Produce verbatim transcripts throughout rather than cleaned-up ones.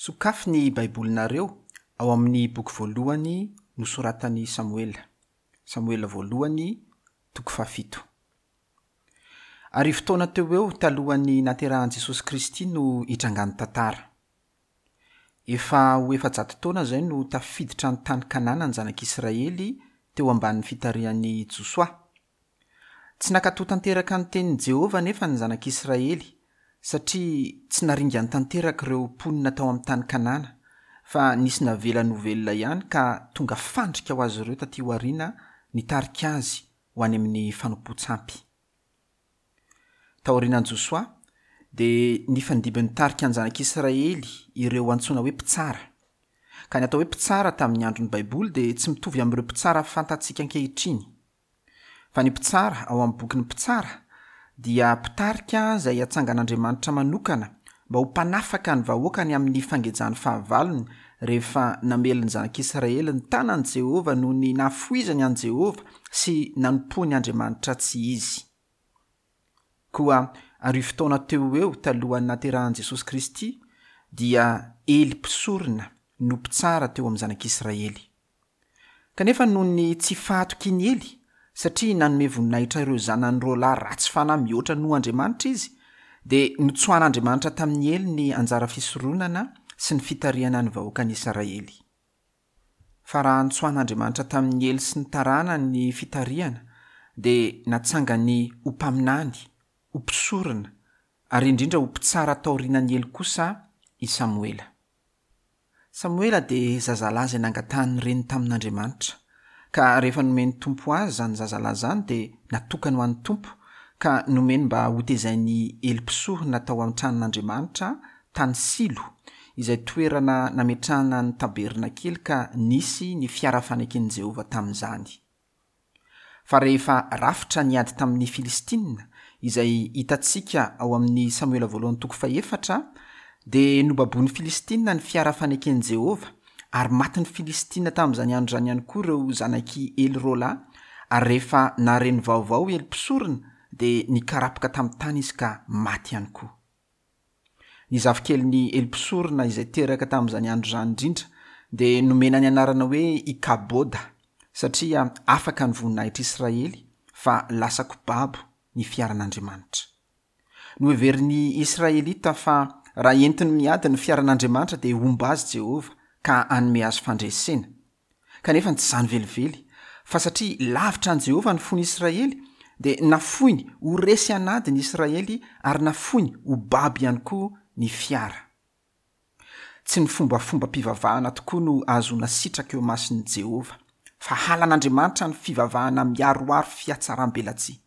Sokafy ny Baibolinareo ao amin'ny boky voalohany nosoratan'i Samoela. Samoela voalohany, toko fahafito. Arivo taona teo ho eo talohan'ny naterahan'i Jesosy Kristy no itrangan'ny tantara. Efa ho efajato taona izay no tafiditra ny tany Kanana ny zanak'Israely teo ambanin'ny fitarihan'i Josoa. Tsy nankatò tanteraka ny tenin'i Jehovah anefa ny zanak'Israely, satria tsy naringany tanteraka ireo mponina tao amin'ny tany Kanana, fa nisy navelany ho velona ihany ka tonga fandrika ho azy ireo taty aoriana nitarika azy ho any amin'ny fanompoan-tsampy. Taorianan'i Josoa, dia nifandimby nitarika ny zanak'Israely ireo antsoina hoe mpitsara. Ka ny atao hoe mpitsara tamin'ny andron'ny Baiboly dia tsy mitovy amin'ireo mpitsara fantatsika ankehitriny. Fa ny mpitsara ao amin'ny bokin'ny Mpitsara dia mpitarika izay atsangan'Andriamanitra manokana mba ho mpanafaka ny vahoakany amin'ny fangejan'ny fahavalony rehefa namely ny zanak'Israely ny tanan'i Jehovah noho ny nahafoizany an'i Jehovah sy nanompoany Andriamanitra tsy izy. Koa arivo taona teo ho eo talohan'ny naterahan'i Jesosy Kristy dia Ely mpisorona no mpitsara teo amin'ny zanak'Israely. Kanefa noho ny tsy fahatokian'i Ely, satria nanome voninahitra ireo zanany roa lahy ratsy fanahy mihoatra noho Andriamanitra izy, dia notsoahan'Andriamanitra tamin'i Ely ny anjara fisoronana sy ny fitarihana ny vahoakan'Israely. Fa raha notsoahan'Andriamanitra tamin'i Ely sy ny taranany ny fitarihana, dia natsangany ho mpaminany, ho mpisorona, ary indrindra ho mpitsara taorianan'i Ely kosa i Samoela. Samoela dia zazalahy izay nangatahan'ny reniny tamin'Andriamanitra, ka rehefa nomen'ny Tompo azy izany zazalahy izany dia natokany ho an'ny Tompo, ka nomeny mba hotezain'i Ely mpisorona tao amin'ny tranon'Andriamanitra tany Silo, izay toerana nametrahana ny tabernakely ka nisy ny fiara faneken'i Jehovah tamin'izany. Fa rehefa rafitra ny ady tamin'ny Filistina, izay hitantsika ao amin'ny Samoela voalohany toko fahefatra, dia nobaboin'ny Filistina ny fiara faneken'i Jehovah, ary matin'ny Filistina tamin'izany andro izany ihany koa ireo zanak'i Ely roa lahy, ary rehefa nahare ny vaovao Ely mpisorona, dia nikarapoka tamin'ny tany izy ka maty ihany koa. Ny zafikelin'i Ely mpisorona izay teraka tamin'izany andro izany indrindra dia nomena ny anarana hoe Ikaboda, satria afaka ny voninahitr'Israely fa lasa kobabo ny fiaran'Andriamanitra. Noheverin'ny Israelita fa raha entiny miady ny fiaran'Andriamanitra dia homba azy Jehovah ka hanome azy fandresena. Kanefa tsy izany velively, fa satria lavitra an'i Jehovah ny fon'Israely, dia nafoiny ho resy an'ady ny Israely ary nafoiny ho babo ihany koa ny fiara. Tsy ny fombafombam-pivavahana tokoa no ahazoana sitraka eo imason'i Jehovah, fa halan'Andriamanitra ny fivavahana miharoharo fihatsaram-belatsihy.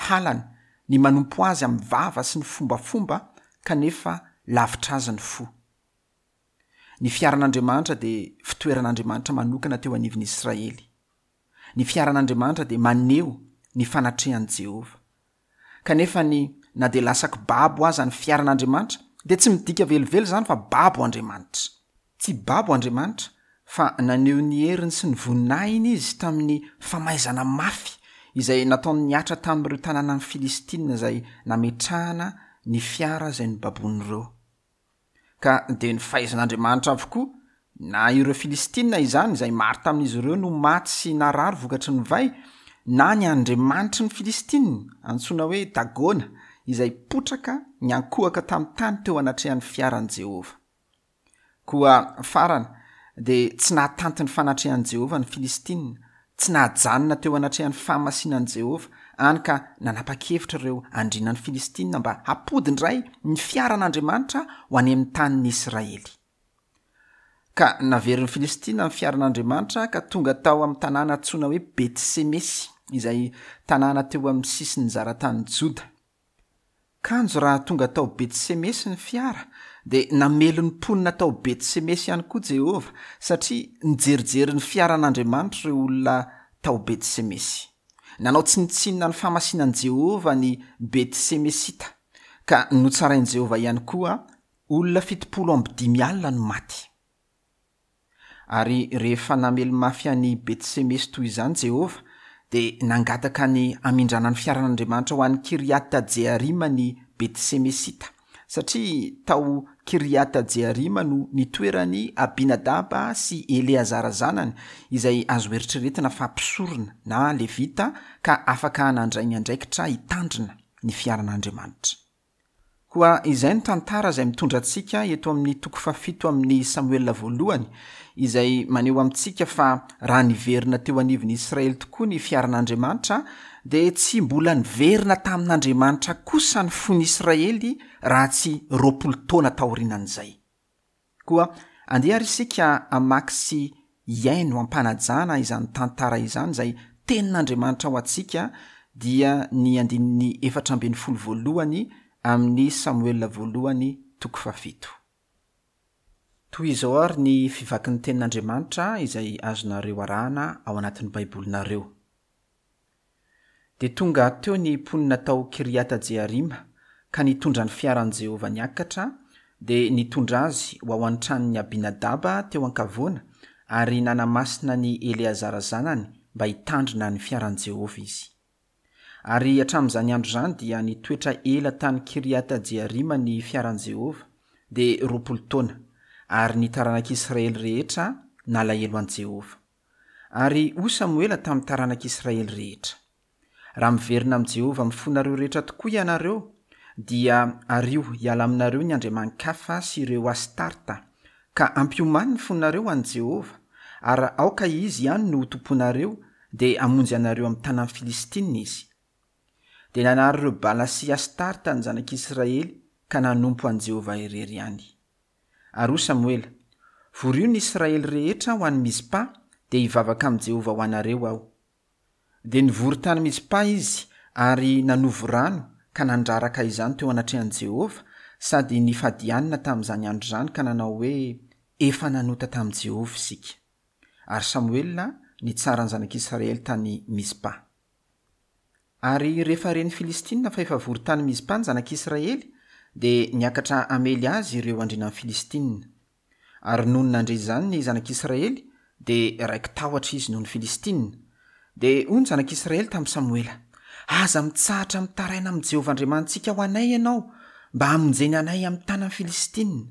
Halany ny manompo azy amin'ny vava sy ny fombafomba kanefa lavitra azy ny fo. Ny fiaran'Andriamanitra dia fitoeran'Andriamanitra manokana teo anivon'ny Israely. Ny fiaran'Andriamanitra dia maneho ny fanatrehan'i Jehovah. Kanefa ny na dia lasa kibabo aza ny fiaran'Andriamanitra dia tsy midika velively izany fa babo Andriamanitra. Tsy babo Andriamanitra fa naneho ny heriny sy ny voninahiny izy tamin'ny famaizana mafy izay nataony nihatra tamin'ireo tanànan'ny Filistina izay nametrahana ny fiara izay nobabon'ireo. Ka dia ny fahaizan'Andriamanitra avokoa, na ireo Filistina izany izay maro tamin'izy ireo no maty sy narary vokatry ny vay, na ny andriamanitry ny Filistina antsoina hoe Dagona izay potraka niankohoka tamin'ny tany teo anatrehan'ny fiaran'i Jehovah. Koa farany dia tsy nahatanty ny fanatrehan'i Jehovah ny Filistina, tsy nahajanona teo anatrehan'ny fahamasinan'i Jehovah, hany ka nanapa-kevitra ireo andrianan'ny Filistina mba hampody indray ny fiaran'Andriamanitra ho any amin'ny tanin'ny Israely. Ka naverin'ny Filistina ny fiaran'Andriamanitra ka tonga tao amin'ny tanàna antsoina hoe Betsemesy, izay tanàna teo amin'ny sisin'ny zaratanin'i Joda. Kanjo raha tonga tao Betsemesy ny fiara, dia namely ny mponina tao Betsemesy ihany koa Jehovah, satria nijerijery ny fiaran'Andriamanitra ireo olona tao Betsemesy. Nanao tsinontsinona ny fahamasinan'i Jehovah ny Betsemesita, ka notsarain'i Jehovah ihany koa olona fitopolo amby dimy alina no maty. Ary rehefa namely mafy an'i Betsemesy toy izany Jehovah, dia nangataka ny hamindrana ny fiaran'Andriamanitra ho an'i Kiriata Jearima ny Betsemesita, satria tao Kiriata-Jearima no nitoeran'i Abinadaba sy Eleazara zanany, izay azo eritreretina fa mpisorona na levita ka afaka nandray ny andraikitra hitandrina ny fiaran'Andriamanitra. Koa izay no tantara izay mitondra antsika eto amin'ny toko fahafito amin'ny Samoela voalohany, izay maneho amintsika fa raha niverina teo anivon'ny Israely tokoa ny fiaran'Andriamanitra, dia tsy mbola niverina tamin'Andriamanitra kosa ny fon'ny Israely raha tsy roapolo taona taorianan'izay. Koa andeha ary isika hamaky sy hihaino am-panajana izany tantara izany izay tenin'Andriamanitra ho antsika, dia ny andininy efatra ambin'ny folo voalohany amin'ny Samoela voalohany toko fahafito. Toy izao ary ny fivakin'ny tenin'Andriamanitra izay azonareo arahana ao anatin'ny Baibolinareo. Dia tonga teo ny mponina tao Kiriata-Jearima ka nitondra ny fiaran'i Jehovah niakatra, dia nitondra azy ho ao an-tranon'i Abinadaba teo an-kavoana ary nanamasina ny Eleazara zanany mba hitandrina ny fiaran'i Jehovah izy. Ary hatramin'izany andro izany dia nitoetra ela tany Kiriata-Jearima ny fiaran'i Jehovah, dia roapolo taona, ary ny taranak'Israely rehetra nalahelo an'i Jehovah. Ary hoy Samoela tamin'ny taranak'Israely rehetra: Raha miverina amin'i Jehovah amin'ny fonareo rehetra tokoa ianareo, dia ario hiala aminareo ny andriamani-kafa sy ireo Astarta, ka ampiomany ny fonareo an'i Jehovah, ary aoka izy ihany no ho tomponareo, dia hamonjy anareo amin'ny tanan'ny Filistinina izy. Dia nanary ireo Bala sy Astarta ny zanak'Israely ka nanompo an'i Jehovah irery ihany. Ary hoy Samoela: Vorio ny Israely rehetra ho any Mizpa, dia hivavaka amin'i Jehovah ho anareo aho. Dia nivory tany Mizpa izy ary nanovo rano ka nandraraka izany teo anatrehan'i Jehovah, sady nifady hanina tamin'izany andro izany ka nanao hoe: Efa nanota tamin'i Jehovah isika. Ary Samoela nitsara ny zanak'Israely tany Mizpa. Ary rehefa ren'ny Filistinina fa efa vory tany Mizpa ny zanak'Israely, dia niakatra hamely azy ireo andrianan'ny Filistinina. Ary nony nandre izany ny zanak'Israely, dia raiki-tahotra izy noho ny Filistinina. Dia hoy ny zanak'Israely tamin'i Samoela: Aza mitsahatra mitaraina amin'i Jehovah Andriamanitsika ho anay ianao, mba hamonjeny anay amin'ny tanan'ny Filistinina.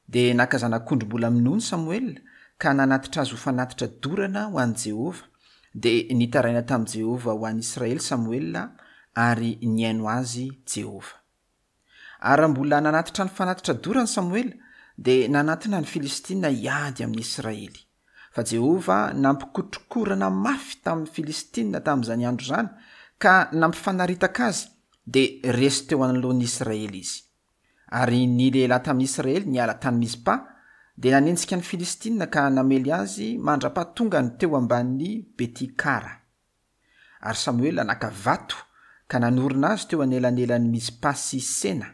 Dia naka zanak'ondry mbola minono Samoela ka nanatitra azy ho fanatitra dorana ho an'i Jehovah. Dia nitaraina tamin'i Jehovah ho an'i Israely Samoela, ary nihaino azy Jehovah. Ary raha mbola nanatitra ny fanatitra dorany Samoela, dia nanatona ny Filistinina hiady amin'ny Israely. Fa Jehovah nampikotrokorana mafy tamin'ny Filistinina tamin'izany andro izany, ka nampifanaritaka azy, dia resy teo anoloan'ny Israely izy. Ary ny lehilahy tamin'ny Israely niala tany Mizpa, dia nanenjika ny Filistinina ka namely azy mandra-pahatongany teo ambanin'ny Betikara. Ary Samoela naka vato ka nanorina azy teo anelanelan'ny Mizpa sy Sena,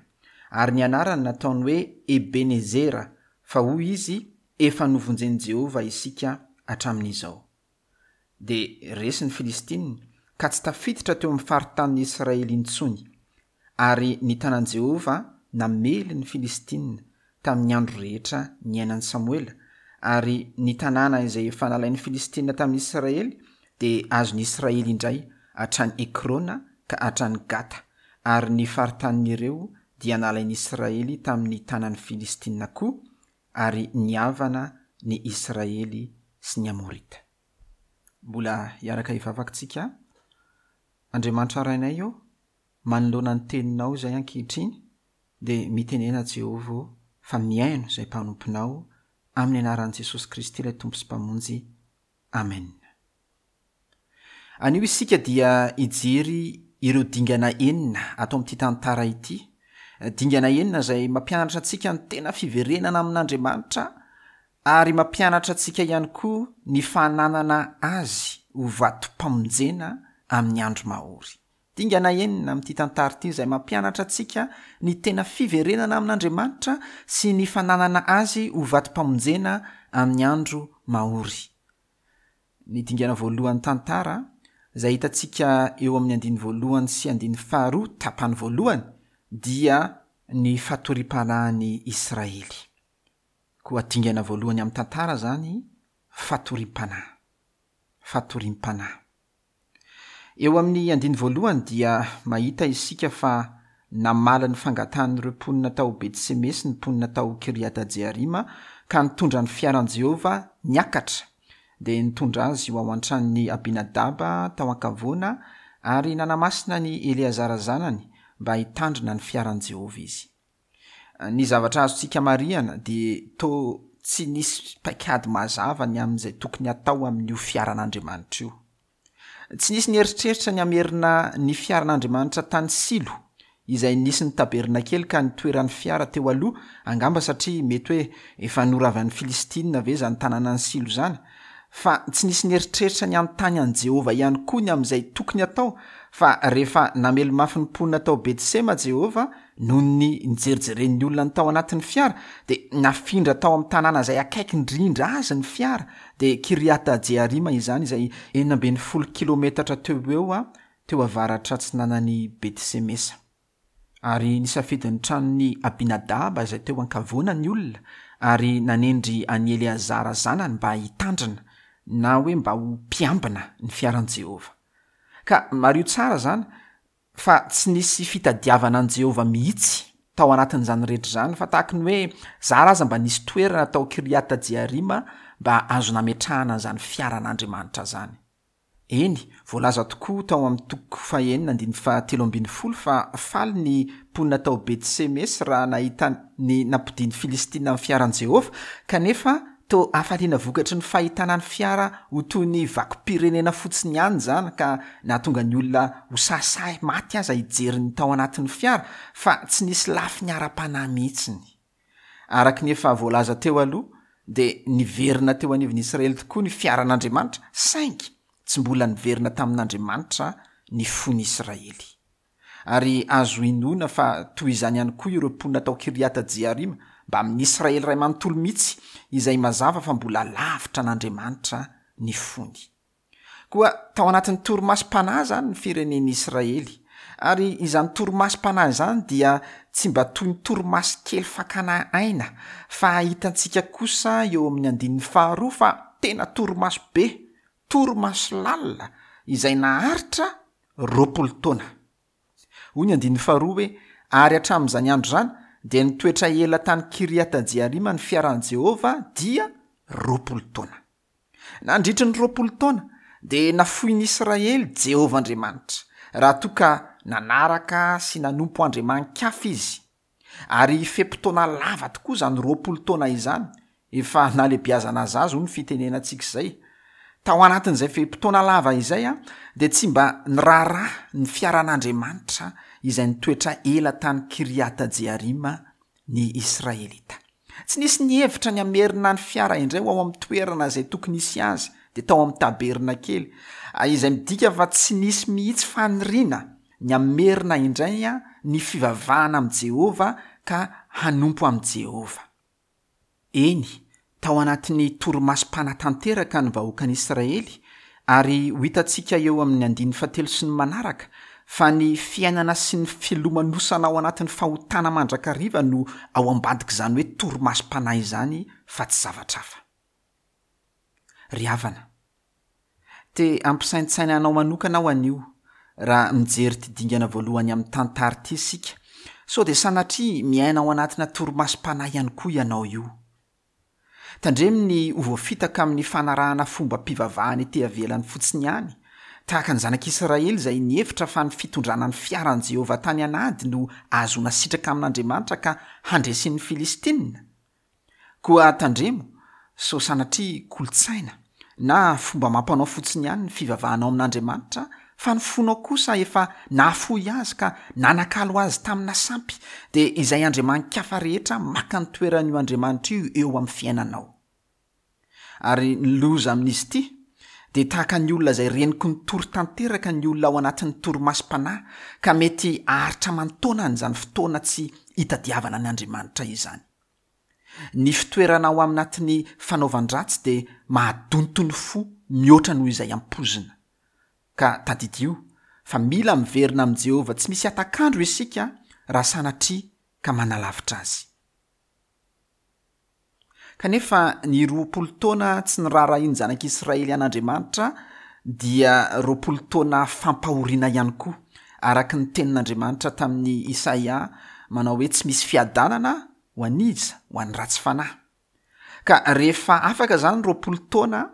ary ny anarany nataony hoe Ebenezera, fa hoy izy: Efa novonjen'i Jehovah isika hatramin'izao. Dia resy ny Filistinina ka tsy tafiditra teo amin'ny faritanin'ny Israely intsony. Ary ny tanan'i Jehovah namely ny Filistinina tamin'ny andro rehetra niainan'i Samoela, ary ny tanàna izay efa nalain'ny Filistinina tamin'ny Israely dia azon'ny Israely indray hatrany Ekrona ka hatrany Gata, ary ny faritanin'ireo dia nalain'ny Israely tamin'ny tanan'ny Filistinina koa, ary nihavana ny Israely sy ny Amorita. Mbola hiaraka hivavaka tsika. Andriamanitra Rainay ô, manoloana ny teninao izay ankehitriny, dia mitenena Jehovah fa mihaino izay mpanomponao, amin'ny anaran'i Jesosy Kristy ilay Tompo sy Mpamonjy. Amen. Anio isika dia hijery ireo dingana enina ato amin'ity tantara ity. Dingana enina izay mampianatra antsika ny tena fiverenana amin'Andriamanitra, ary mampianatra antsika ihany koa ny fananana azy ho vatom-pamonjena amin'ny andro mahory. Dingana enina amin'ity tantara ity izay mampianatra antsika ny tena fiverenana amin'Andriamanitra sy ny fananana azy ho vatom-pamonjena amin'ny andro mahory. Ny dingana voalohan'ny tantara izay hitantsika eo amin'ny andininy voalohany sy andininy faharoa tapany voalohany dia ny fatoriam-panahin'ny Israely. Koa dingana voalohany amin'ny tantara zany, fatoriam-panahy. Fatoriam-panahy. Eo amin'ny andininy voalohany dia mahita isika fa Namaly ny fangatahan'ireo mponina tao Beti-Semesy ny mponina tao Kiriata-Jearima ka nitondra ny fiaran'i Jehovah niakatra, dia nitondra azy ho ao an-tranon'i Abinadaba tao an-kavoana ary nanamasina an'i Eleazara zanany mba hitandrina ny fiaran'i Jehovah izy. Ny zavatra azontsika marihana dia toa tsy nisy paikady mazava ny amin'izay tokony hatao amin'io fiaran'Andriamanitra io. Tsy nisy nieritreritra ny hamerina ny fiaran'Andriamanitra tany Silo, izay nisy ny tabernakely ka nitoeran'ny fiara teo aloha, angamba satria mety hoe efa noravan'ny Filistina ve izany tanànan'i Silo izany. Fa tsy nisy nieritreritra ny hanontany an'i Jehovah ihany koa ny amin'izay tokony hatao, fa rehefa namely mafy ny mponina tao Betsema Jehovah noho ny nijerijeren'ny olona ny tao anatin'ny fiara, dia nafindra tao amin'ny tanàna izay akaiky indrindra azy ny fiara, dia Kiriata Jearima izany, izay enina ambin'ny folo kilometatra teo ho eo teo avaratra atsinanan'i Betsemesa. Ary nisafidy ny tranon'i Abinadaba izay teo an-kavoana ny olona, ary nanendry an'i Eleazara zanany mba hitandrina, na hoe mba ho mpiambina ny fiaran'i Jehovah. Ka mariho tsara izany fa tsy nisy fitadiavana an'i Jehovah mihitsy tao anatin'izany rehetra izany, fa tahaky ny hoe zara aza mba nisy toerana tao Kiriata Jearima mba azo nametrahana an'izany fiaran'Andriamanitra izany. Eny, voalaza tokoa tao amin'ny toko fahenina andininy fahatelo ambin'ny folo fa faly ny mponina tao Betsemesy raha nahita ny nampodian'ny Filistina amin'ny fiaran'i Jehovah, kanefa toa hafaliana vokatry ny fahitana ny fiara ho toy ny vakom-pirenena fotsiny ihany izany, ka nahatonga ny olona ho sahisahy maty aza hijery ny tao anatin'ny fiara, fa tsy nisy lafiny ara-panahy mihitsiny. Araka ny efa voalaza teo aloha, dia niverina teo anivon'ny Israely tokoa ny fiaran'Andriamanitra, saingy tsy mbola niverina tamin'Andriamanitra ny fon'i Israely. Ary azo inoana fa toy izany ihany koa ireo mponina tao Kiriata Jearima, mba amin'ny Israely iray manontolo mihitsy, izay mazava fa mbola lavitra an'Andriamanitra ny fony. Koa tao anatin'ny torimasom-panahy izany ny firenen'i Israely, ary izany torimasom-panahy izany dia tsy mba toy ny torimaso kely fakana aina, fa hitantsika kosa eo amin'ny andininy faharoa fa tena torimaso be, torimaso lalina izay naharitra roapolo taona. Hoy ny andininy faharoa hoe: ary hatramin'izany andro izany dia nitoetra ela tany Kiriata Jearima ny fiaran'i Jehovah dia roapolo taona. Nandritry ny roapolo taona dia nafoin'i Israely Jehovah Andriamanitra, raha toa ka nanaraka sy nanompo andriamani-kafa izy. Ary fe-potoana lava tokoa izany roapolo taona izany, efa nalehibiazana zaza hoy ny fitenenantsika izay. Tao anatin'izay fe-potoana lava izay a, dia tsy mba niraharaha ny fiaran'Andriamanitra izay nitoetra ela tany Kiriata Jearima ny Israelita. Tsy nisy nihevitra ny hamerina ny fiara indray ho ao amin'ny toerana izay tokony hisy azy, dia tao amin'ny tabernakely, izay midika fa tsy nisy mihitsy faniriana ny hamerina indray a ny fivavahana amin'i Jehovah ka hanompo amin'i Jehovah. Eny, tao anatin'ny torimasom-panahy tanteraka ny vahoakan'Israely, ary ho hitantsika eo amin'ny andininy fahatelo sy ny manaraka fa ny fiainana sy ny filomanosana ao anatin'ny fahotana mandrakariva no ao ambadik'izany hoe torimasom-panahy izany fa tsy zavatra hafa. Ry havana, te hampisaintsaina anao manokana aho anio raha mijery ity dingana voalohany amin'ny tantara ity isika, sao dia sanatria miaina ao anatina torimasom-panahy ihany koa ianao io. Tandremo ny ho voafitaka amin'ny fanarahana fombam-pivavahana ety ivelany fotsiny ihany, tahaka ny zanak'Israely izay nihevitra fa ny fitondrana ny fiaran'i Jehovah tany an'ady no ahazoana sitraka amin'Andriamanitra ka handresin'ny Filistina. Koa tandremo sao sanatria kolontsaina na fomba mampanao fotsiny ihany ny fivavahanao amin'Andriamanitra, fa ny fonao kosa efa nahafoy azy ka nanakalo azy tamina sampy, dia izay andriamani-kafa rehetra maka ny toeran'io Andriamanitra io eo amin'ny fiainanao. Ary ny loza amin'izy ity dia tahaka ny olona izay reniky ny tory tanteraka ny olona ao anatin'ny torimasom-panahy, ka mety haharitra aman-taonany izany fotoana tsy hitadiavana ny Andriamanitra izany. Ny fitoerana ao anatin'ny fanaovan-dratsy dia mahadonto ny fo mihoatra noho izay ampoizina. Ka tadidio fa mila miverina amin'i Jehovah tsy misy hatak'andro isika raha sanatria ka manalavitra azy. Kanefa ny roapolo taona tsy niraharahian'ny zanak'Israely an'Andriamanitra dia roapolo taona fampahoriana ihany koa, araka ny tenin'Andriamanitra tamin'i Isaia manao hoe tsy misy fiadanana ho an'iza? Ho an'ny ratsy fanahy. Ka rehefa afaka izany roapolo taona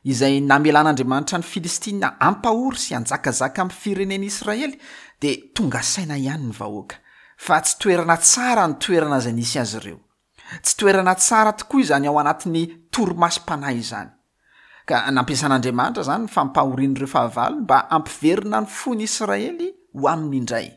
izay namelan'Andriamanitra ny Filistina hampahory sy hanjakazaka amin'ny firenen'Israely, dia tonga saina ihany ny vahoaka fa tsy toerana tsara ny toerana izay nisy azy ireo. Tsy toerana tsara tokoa izany ao anatin'ny torimasom-panahy izany. Ka nampiasan'Andriamanitra izany ny fampahorian'ireo fahavalo mba hampiverina ny fon'Israely ho aminy indray.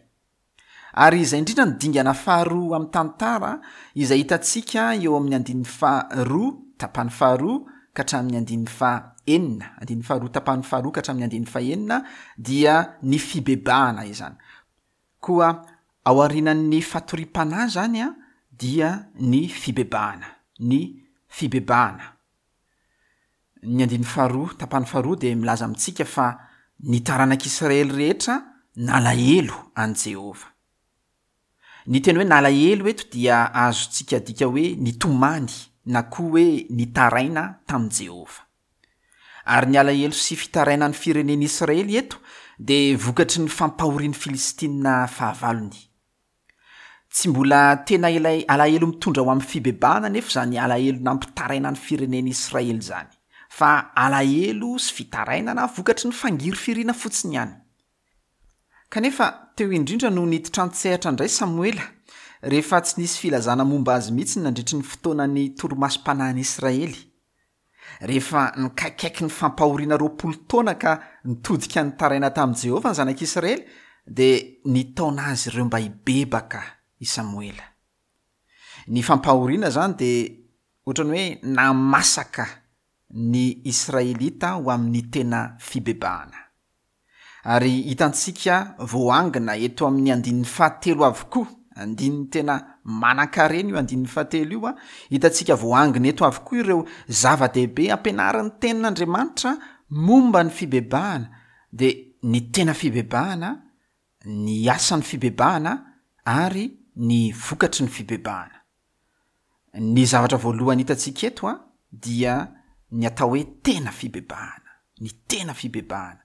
Ary izay indrindra ny dingana faharoa amin'ny tantara izay hitantsika eo amin'ny andininy faharoa tapany faharoa ka hatramin'ny andininy fahenina, andininy faharoa tapany faharoa ka hatramin'ny andininy fahenina dia ny fibebahana izany. Koa ao aorianan'ny fatoriam-panahy izany a dia ny fibebahana, ny fibebahana. Ny andininy faharoa tapany faharoa dia milaza amintsika fa ny taranak'Israely rehetra nalahelo an'i Jehovah. Ny teny hoe nalahelo eto dia azontsika adika hoe nitomany na koa hoe nitaraina tamin'i Jehovah. Ary ny alahelo sy fitaraina ny firenen'Israely eto dia vokatry ny fampahorian'ny Filistina fahavalony. Tsy mbola tena ilay alahelo mitondra ho amin'ny fibebahana nefa izany alahelo nampitaraina ny firenen'Israely izany, fa alahelo sy fitarainana vokatry ny fangirifiriana fotsiny ihany. Kanefa teo indrindra no niditra an-tsehatra indray Samoela, rehefa tsy nisy filazana momba azy mihitsy nandritry ny fotoanan'ny torimasom-panahin'Israely. Rehefa nikaikaiky ny fampahoriana roapolo taona ka nitodika nitaraina tamin'i Jehovah ny zanak'Israely, dia nitaona azy ireo mba hibebaka i Samoela. Ny fampahoriana izany dia ohatran'ny hoe namasaka ny Israelita ho amin'ny tena fibebahana. Ary hitantsika voaangona eto amin'ny andininy fahatelo avokoa, andininy tena manan-karena io andininy fahatelo io, hitantsika voaangona eto avokoa ireo zava-dehibe ampianarin'ny tenin'Andriamanitra momba ny fibebahana, dia ny tena fibebahana, ny asan'ny fibebahana ary ny vokatry ny fibebahana. Ny zavatra voalohany hitantsika eto a dia ny atao hoe tena fibebahana, ny tena fibebahana.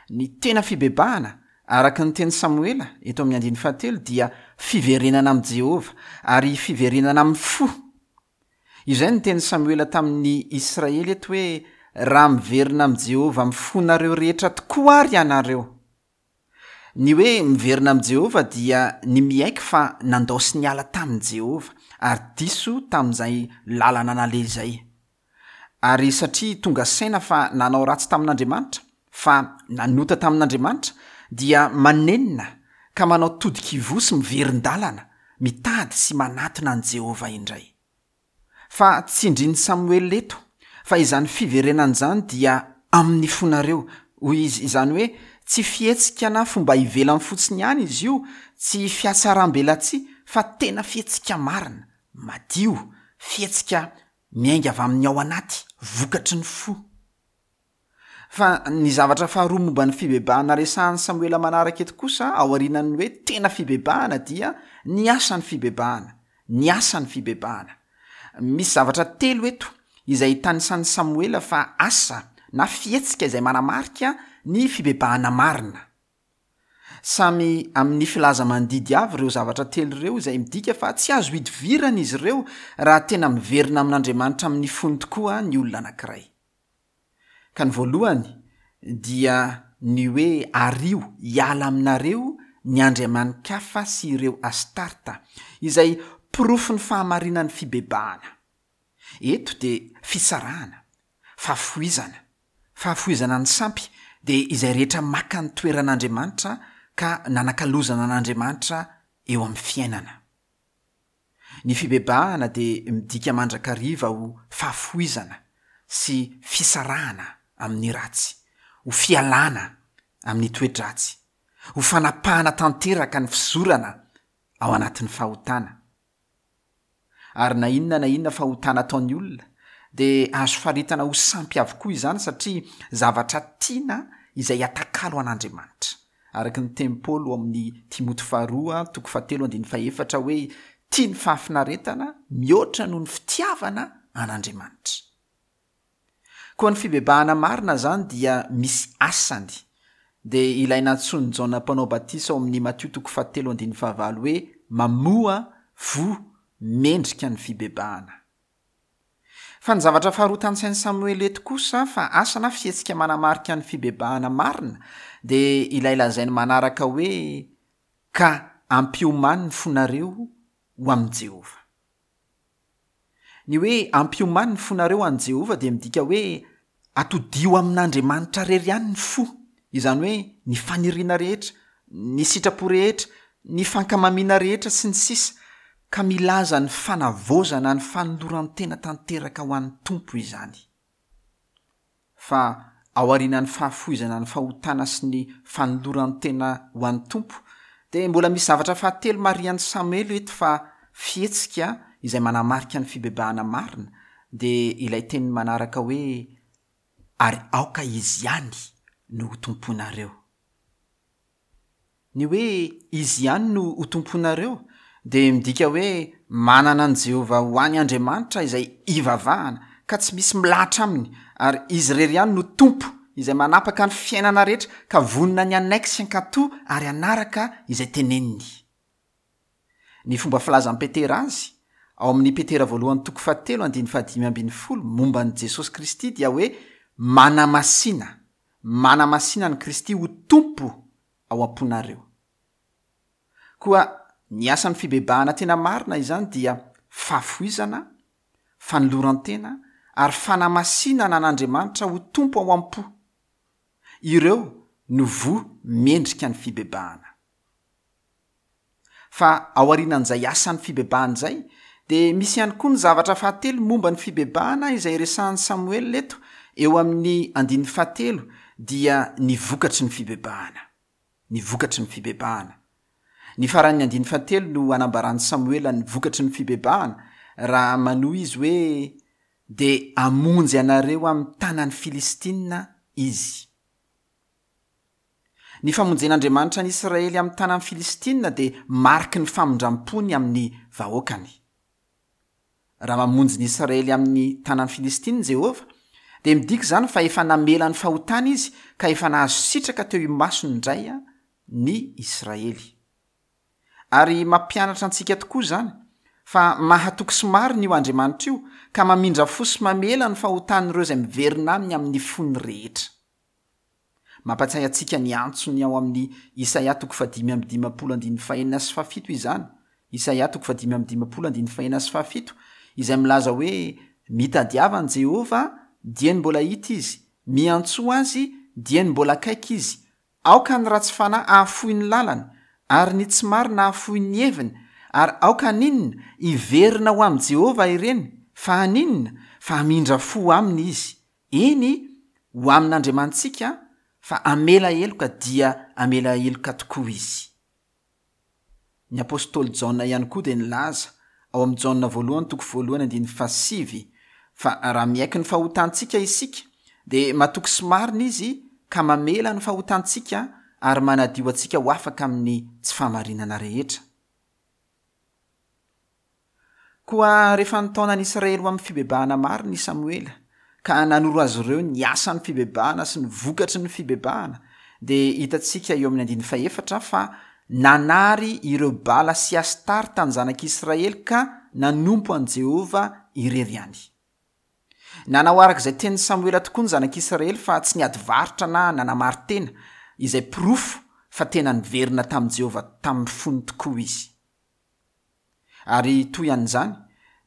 Ny tena fibebahana, araka ny teny Samoela eto amin'ny andininy fahatelo, dia fiverenana amin'i Jehovah ary fiverenana amin'ny fo. Izay ny teny Samoela tamin'ny Israely eto hoe raha miverina amin'i Jehovah amin'ny fonareo rehetra tokoa ary ianareo. Ny hoe miverina amin'i Jehovah dia ny miaiky fa nandao sy niala tamin'i Jehovah ary diso tamin'izay lalana naleha izay. Ary satria tonga saina fa nanao ratsy tamin'Andriamanitra, fa nanota tamin'Andriamanitra, dia manenina ka manao todikivoa sy miverin-dalana, mitady sy manatona an'i Jehovah indray. Fa tsindrin'i Samoela eto fa izany fiverenana izany dia amin'ny fonareo, hoy izy. Izany hoe tsy fihetsika na fomba ivelany fotsiny ihany izy io, tsy fiatsaram-belatsihy, fa tena fihetsika marina, madio, fihetsika miainga avy amin'ny ao anaty, vokatry ny fo. Fa ny zavatra faharoa momba ny fibebahana resahan'i Samoela manaraka eto kosa, aorianan'ny hoe tena fibebahana, dia ny asan'ny fibebahana, ny asan'ny fibebahana. Misy zavatra telo eto izay tanisan'i Samoela fa asa na fihetsika izay manamarika ny fibebahana marina. Samy amin'ny filaza mandidy avy ireo zavatra telo ireo izay midika fa tsy azo idivirana izy ireo raha tena miverina amin'Andriamanitra amin'ny fony tokoa ny olona anankiray. Ka ny voalohany dia ny hoe ario hiala aminareo ny andriamani-kafa sy ireo Astarta, izay porofon'ny fahamarinan'ny fibebahana. Eto dia fisarahana, fahafoizana. Fahafoizana ny sampy dia izay rehetra maka ny toeran'Andriamanitra ka nanakalozana an'Andriamanitra eo amin'ny fiainana. Ny fibebahana dia midika mandrakariva ho fahafoizana sy fisarahana amin'ny ratsy, ho fialana amin'ny toe-dratsy, ho fanapahana tanteraka ny fizorana ao anatin'ny fahotana. Ary na inona na inona fahotana ataon'ny olona dia azo faritana ho sampy avokoa izany satria zavatra tiana izay atakalo an'Andriamanitra. Araka ny teny Paoly ao amin'ny Timoty faharoa toko fahatelo andininy fahefatra hoe tia ny fahafinaretana mihoatra noho ny fitiavana an'Andriamanitra. Koa ny fibebahana marina izany dia misy asany, dia ilay nantsoin'i Jaona Mpanao Batisa ao amin'ny Matio toko fahatelo andininy fahavalo hoe mamoa voa mendrika ny fibebahana. Fa ny zavatra faharoa tanisain'i Samoela eto kosa fa asa na fihetsika manamarika ny fibebahana marina dia ilay lazainy manaraka hoe ka ampiomany ny fonareo ho amin'i Jehovah. Ny hoe ampiomany ny fonareo an'i Jehovah dia midika hoe atodio amin'Andriamanitra irery ihany ny fo, izany hoe ny faniriana rehetra, ny sitrapo rehetra, ny fankamamiana rehetra sy ny sisa, ka milaza ny fanavaozana ny fanoloran-tena tanteraka ho an'ny Tompo izany. Fa aorian'ny fahafoizana ny fahotana sy ny fanoloran-tena ho an'ny Tompo, dia mbola misy zavatra fahatelo marihan'i Samoela eto fa fihetsika izay manamarika ny fibebahana marina, dia ilay teny manaraka hoe ary aoka izy ihany no ho tomponareo. Ny hoe izy ihany no ho tomponareo dia midika hoe manana an'i Jehovah ho any Andriamanitra izay ivavahana ka tsy misy milahatra aminy, ary izy irery ihany no Tompo izay manapaka ny fiainana rehetra ka vonona ny hanaiky sy hankatò ary hanaraka izay teneniny. Ny fomba filazan'i Petera azy ao amin'ny Petera voalohany toko fahatelo andininy fahadimy ambin'ny folo momba an'i Jesosy Kristy dia hoe manamasina, manamasina an'i Kristy ho Tompo ao am-ponareo. Koa ny asan'ny fibebahana tena marina izany dia fahafoizana, fanoloran-tena ary fanamasinana an'Andriamanitra ho Tompo ao am-po. Ireo no voa mendrika ny fibebahana. Fa aorianan'izay asan'ny fibebahana izay dia misy ihany koa ny zavatra fahatelo momba ny fibebahana izay resahan'i Samoela eto eo amin'ny andininy fahatelo, dia ny vokatry ny fibebahana. Ny vokatry ny fibebahana. Ny faran'ny andininy fahatelo no anambaran'i Samoela ny vokatry ny fibebahana, raha manohy izy hoe dia hamonjy anareo amin'ny tanan'ny Filistina izy. Ny famonjen'Andriamanitra ny Israely amin'ny tanan'ny Filistina dia mariky ny famindram-pony amin'ny vahoakany. Raha mamonjy ny Israely amin'ny tanan'ny Filistina Jehovah, dia midika izany fa efa namela ny fahotany izy ka efa nahazo sitraka teo imasony indray ny Israely. Ary mampianatra antsika tokoa izany fa mahatoky sy marina io Andriamanitra io ka mamindra fo sy mamela ny fahotan'ireo izay miverina aminy amin'ny fony rehetra. Mampatsiahy antsika ny antsony ao amin'ny Isaia toko fahadimy amby dimampolo andininy fahenina sy fahafito izany. Isaia toko fahadimy amby dimampolo andininy fahenina sy fahafito izay milaza hoe mitadiava an'i Jehovah dieny mbola hita izy, miantsoa azy dieny mbola akaiky izy. Aoka ny ratsy fanahy hahafoy ny lalany ary ny tsy marina hahafoy ny heviny, ary aoka haninona hiverina ho amin'i Jehovah ireny, fa haninona fa hamindra fo aminy izy. Eny, ho amin'Andriamanitsika, fa hamela heloka dia hamela heloka tokoa izy. Ny apostoly Jaona ihany koa dia nilaza ao amin'ny Jaona voalohany toko voalohany andininy fahasivy fa raha miaiky ny fahotantsika isika dia matoky sy marina izy ka mamela ny fahotantsika ary manadio antsika ho afaka amin'ny tsy fahamarinana rehetra. Koa rehefa nitaona ny Israely ho amin'ny fibebahana marina i Samoela ka nanoro azy ireo ny asan'ny fibebahana sy ny vokatry ny fibebahana, dia hitantsika eo amin'ny andininy fahefatra fa nanary ireo Bala sy Astarta ny zanak'Israely ka nanompo an'i Jehovah irery ihany. Nanao araka izay tenin'i Samoela tokoa ny zanak'Israely fa tsy niady varotra na nanamari-tena, izay porofo fa tena niverina tamin'i Jehovah tamin'ny fony tokoa izy. Ary toy an'izany,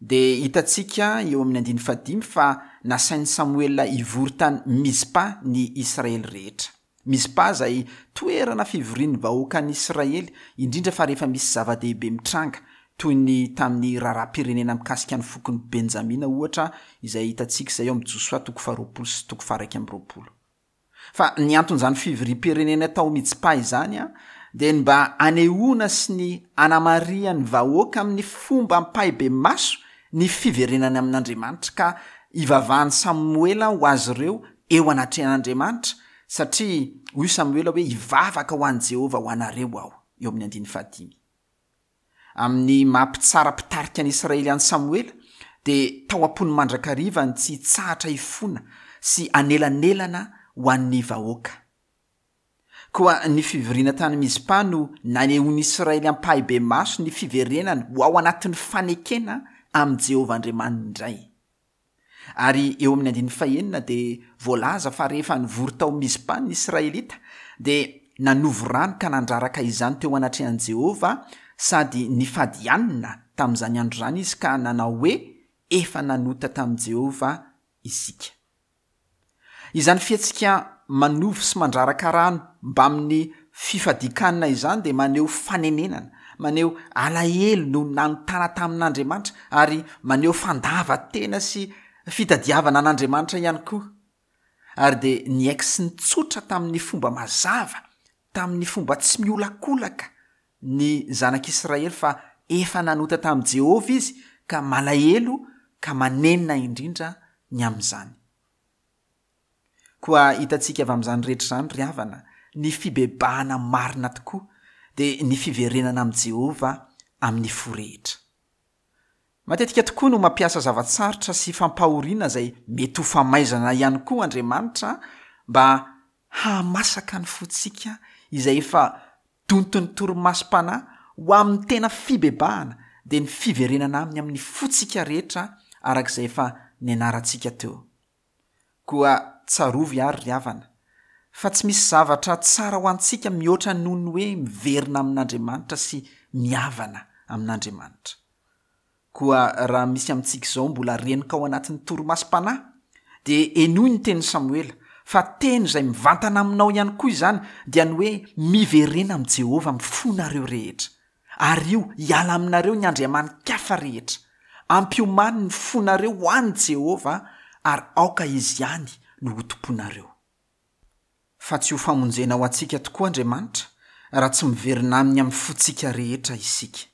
dia hitantsika eo amin'ny andininy fahadimy fa nasain'i Samoela hivory tany Mizpa ny Israely rehetra. Mizpa izay toerana fivorian'ny vahoakan'ny Israely, indrindra fa rehefa misy zava-dehibe mitranga, toy ny tamin'ny raharaham-pirenena mikasika ny fokon'i Benjamina ohatra, izay hitantsika izay eo amin'ny Josoa toko faharoapolo sy toko faha-iraika amby roapolo. Fa ny anton'izany fivoriam-pirenena tao Mizpa izany dia ny mba hanehoana sy ny hanamarihan'ny vahoaka amin'ny fomba ampahibemaso ny fiverenany amin'Andriamanitra ka hivavahan'i Samoela ho azy ireo eo anatrehan'Andriamanitra, satria hoy Samoela hoe hivavaka ho an'i Jehovah ho anareo aho, eo amin'ny andininy fahadimy. Amin'ny maha mpitsara mpitarika ny Israely an'i Samoela dia tao am-pony mandrakariva ny tsy hitsahatra hifona sy hanelanelana ho an'ny vahoaka. Koa ny fivoriana tany Mizpa no nanehoan'ny Israely ampahibemaso ny fiverenany ho ao anatin'ny fanekena amin'i Jehovah Andriamaniny indray. Ary eo amin'ny andininy fahenina dia voalaza fa rehefa nivory tao Mizpa ny Israelita dia nanovo rano ka nandraraka izany teo anatrehan'i Jehovah sady nifady hanina tamin'izany andro izany izy ka nanao hoe efa nanota tamin'i Jehovah isika. Izany fihetsika manovo sy mandraraka rano mbamin'ny fifadian-kanina izany dia maneho fanenenana, maneho alahelo no nanotana tamin'Andriamanitra ary maneho fandavan-tena sy fitadiavana an'Andriamanitra ihany koa. Ary dia niaiky sy nitsotra tamin'ny fomba mazava, tamin'ny fomba tsy miolakolaka ny zanak'Israely fa efa nanota tamin'i Jehovah izy ka malahelo ka manenina indrindra ny amin'izany. Koa hitantsika avy amin'izany rehetra izany ry havana, ny fibebahana marina tokoa dia ny fiverenana amin'i Jehovah amin'ny fo rehetra. Matetika tokoa no mampiasa zava-tsarotra sy fampahoriana izay mety ho famaizana ihany koa Andriamanitra mba hahamasaka ny fontsika izay efa donton'ny torimasom-panahy ho amin'ny tena fibebahana dia ny fiverenana aminy amin'ny fontsika rehetra araka izay efa nianarantsika teo. Koa tsarovy ary ry havana fa tsy misy zavatra tsara ho antsika mihoatra noho ny hoe miverina amin'Andriamanitra sy mihavana amin'Andriamanitra. Koa raha misy amintsika izao mbola renoka ao anatin'ny torimasom-panahy dia henoy ny tenin'i Samoela fa teny izay mivantana aminao ihany koa izany dia ny hoe miverena amin'i Jehovah amin'ny fonareo rehetra ary io hiala aminareo ny andriamani-kafa rehetra. Ampiomany ny fonareo ho an'i Jehovah ary aoka izy ihany no ho tomponareo. Fa tsy ho famonjena ho antsika tokoa Andriamanitra raha tsy miverina aminy amin'ny fontsika rehetra isika.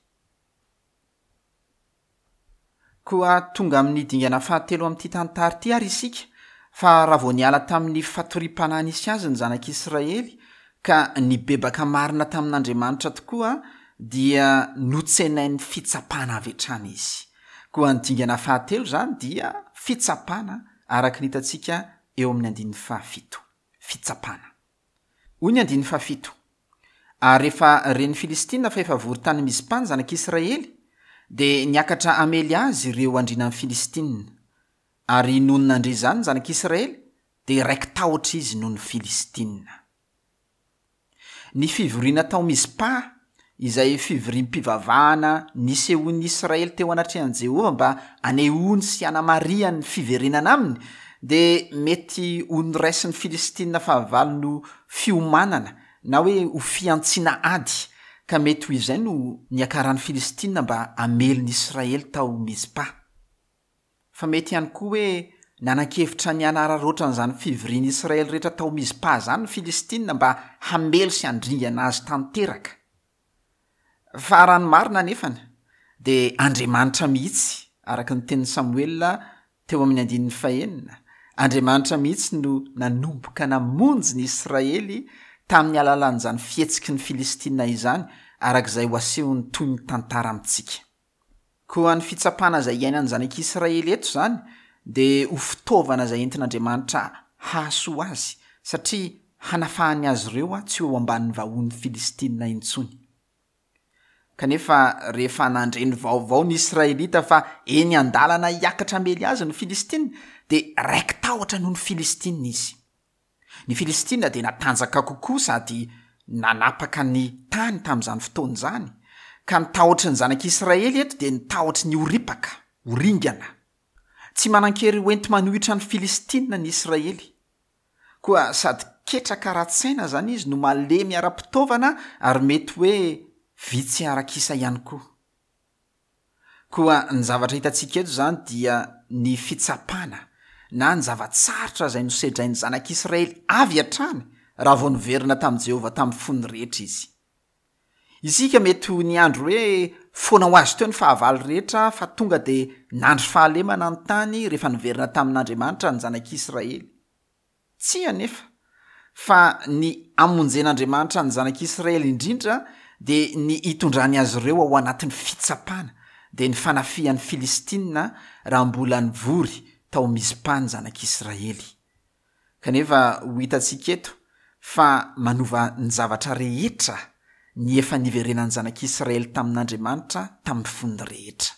Koa tonga amin'ny dingana fahatelo amin'ity tantara ity ary isika fa raha vao niala tamin'ny fatoriam-panahy nisy azy ny zanak'Israely ka nibebaka marina tamin'Andriamanitra tokoa dia notsenain'ny fitsapana avy hatrany izy. Koa ny dingana fahatelo izany dia fitsapana araka ny hitantsika eo amin'ny andininy fahafito. Fitsapana. Hoy ny andininy fahafito: ary rehefa ren'ny Filistina fa efa vory tany Mizpa ny zanak'Israely dia niakatra hamely azy ireo andrianan'ny Filistina. Ary nony nandre izany ny zanak'Israely dia raiki-tahotra izy noho ny Filistina. Ny fivoriana tao Mizpa izay fivoriam-pivavahana nisehoan'ny Israely teo anatrehan'i Jehovah mba hanehoany sy hanamarihany ny fiverenana aminy dia mety ho noraisin'ny Filistina fahavalo no fiomanana na hoe ho fihantsiana ady ka mety ho izay no niakaran'ny Filistina mba hamely ny Israely tao Mizpa. Fa mety ihany koa hoe nanan-kevitra ny hanararaotra an'izany fivorian'ny Israely rehetra tao Mizpa izany ny Filistina mba hamely sy handringana azy tanteraka. Fa raha ny marina nefany dia Andriamanitra mihitsy, araka ny tenin'i Samoela teo amin'ny andininy fahenina, Andriamanitra mihitsy no nanomboka namonjy ny Israely tamin'ny alalan'izany fihetsiky ny Filistina izany araka izay ho asehony toy ny tantara amintsika. Koa ny fitsapana izay iainan'ny zanak'Israely eto izany dia ho fitaovana izay entin'Andriamanitra hahasoa azy satria hanafahany azy ireo tsy ho eo ambanin'ny vahoan'ny Filistina intsony. Kanefa rehefa nandre ny vaovao ny Israelita fa eny an-dalana hiakatra hamely azy ny Filistina dia raiki-tahotra noho ny Filistina izy. Ny Filistina dia natanjaka kokoa sady nanapaka ny tany tamin'izany fotoana izany, ka ny tahotry ny zanak'Israely eto dia ny tahotry ny ho ripaka, ho ringana. Tsy manan-kery ho enti-manohitra ny Filistina ny Israely. Koa sady ketraka ara-tsaina izany izy no malemy ara-pitaovana ary mety hoe vitsy arak'isa ihany koa. Koa ny zavatra hitantsika eto izany dia ny fitsapana na ny zava-tsarotra izay nosedrain'ny zanak'Israely avy hatrany raha vao niverina tamin'i Jehovah tamin'ny fony rehetra izy. Isika mety ho niandry hoe foana ho azy teo ny fahavalo rehetra fa tonga dia nandry fahalemana ny tany rehefa niverina tamin'Andriamanitra ny zanak'Israely. Tsia anefa, fa ny hamonjen'Andriamanitra ny zanak'Israely indrindra dia ny hitondrany azy ireo ao anatin'ny fitsapana, dia ny fanafihan'ny Filistina raha mbola nivory tao Mizpa ny zanak'Israely. Kanefa ho hitantsika eto fa manova ny zavatra rehetra ny efa niverenan'ny zanak'Israely tamin'Andriamanitra tamin'ny fony rehetra.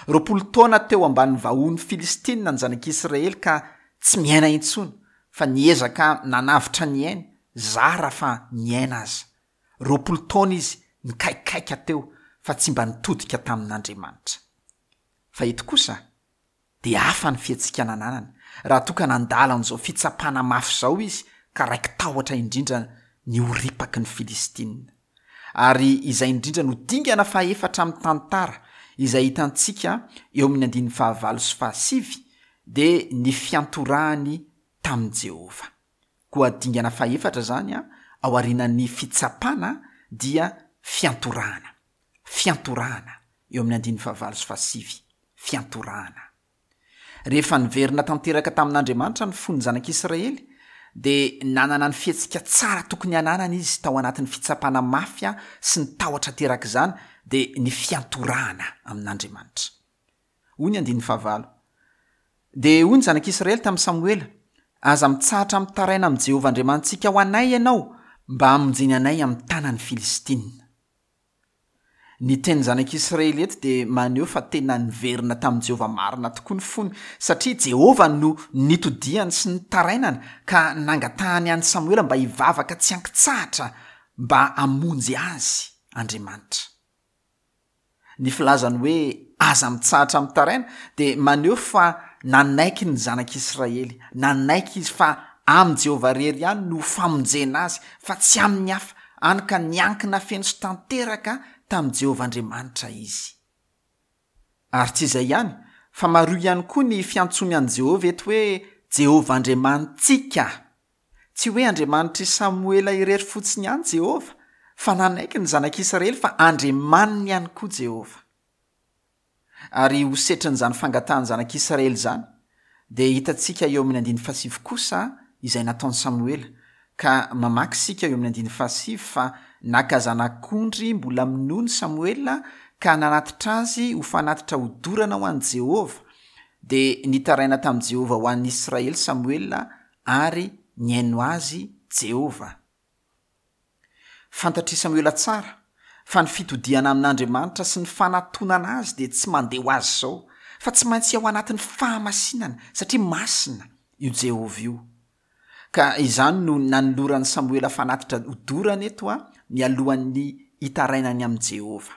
Roapolo taona teo ambany vahohon'ny Filistinina ny zanak'Israely ka tsy miaina intsony fa niezaka nanavotra ny ainy, zara fa niaina aza. Roapolo taona izy nikaikaika teo fa tsy mba nitodika tamin'Andriamanitra. Fa eto kosa dia hafa ny fihetsika nananany raha toa ka nandalo an'izao fitsapana mafy izao izy ka raiki-tahotra indrindra ny ho ripaky ny Filistinina. Ary izay indrindra no dingana fahefatra amin'ny tantara izay hitantsika eo amin'ny andininy fahavalo sy fahasivy dia ny fiantorahany tamin'i Jehovah. Koa dingana fahefatra izany ao aorianan'ny fitsapana dia fiantorahana. Fiantorahana eo amin'ny andininy fahavalo sy fahasivy. Fiantorahana. Rehefa niverina tanteraka tamin'Andriamanitra ny fon'ny zanak'Israely dia nanana ny fihetsika tsara tokony hananana izy tao anatin'ny fitsapana mafy sy ny tahotra aterak'izany dia ny fiantorahana amin'Andriamanitra. Hoy ny andininy fahavalo. Dia hoy ny zanak'Israely tamin'i Samoela: aza mitsahatra mitaraina amin'i Jehovah Andriamanitsika ho anay ianao mba hamonjeny anay amin'ny tanan'ny Filistinina. Ny tenin'ny zanak'Israely eto dia maneho fa tena niverina tamin'i Jehovah marina tokoa ny fony, satria Jehovah no nitodiany sy nitarainana ka nangatahany an'i Samoela mba hivavaka tsy ankitsahatra mba hamonjy azy Andriamanitra. Ny filazany hoe aza mitsahatra mitaraina dia maneho fa nanaiky ny zanak'Israely, nanaiky izy fa amin'i Jehovah irery ihany no famonjena azy fa tsy amin'ny hafa, hany ka niankina feno sy tanteraka tamin'i Jehovah Andriamanitra izy. Ary tsy izay ihany, fa mariho ihany koa ny fiantsoany an'i Jehovah eto hoe Jehovah Andriamanitsika. Tsy hoe Andriamanitr'i Samoela irery fotsiny ihany Jehovah, fa nanaiky ny zanak'Israely fa Andriamaniny ihany koa Jehovah. Ary ho setrin'izany fangatahan'ny zanak'Israely izany, dia hitantsika eo amin'ny andininy fahasivy kosa izay nataon'i Samoela, ka mamaky isika eo amin'ny andininy fahasivy fa naka zanak'ondry mbola minono Samoela ka nanatitra azy ho fanatitra hodorana ho an'i Jehovah. Dia nitaraina tamin'i Jehovah ho an'i Israely Samoela ary nihaino azy Jehovah. Fantatr'i Samoela tsara fa ny fitodihana amin'Andriamanitra sy ny fanatonana azy dia tsy mandeha ho azy izao, fa tsy maintsy ao anatin'ny fahamasinana satria masina io Jehovah io. Ka izany no nanoloran'i Samoela fanatitra hodorana eto a mialohan'ny hitarainany amin'i Jehovah.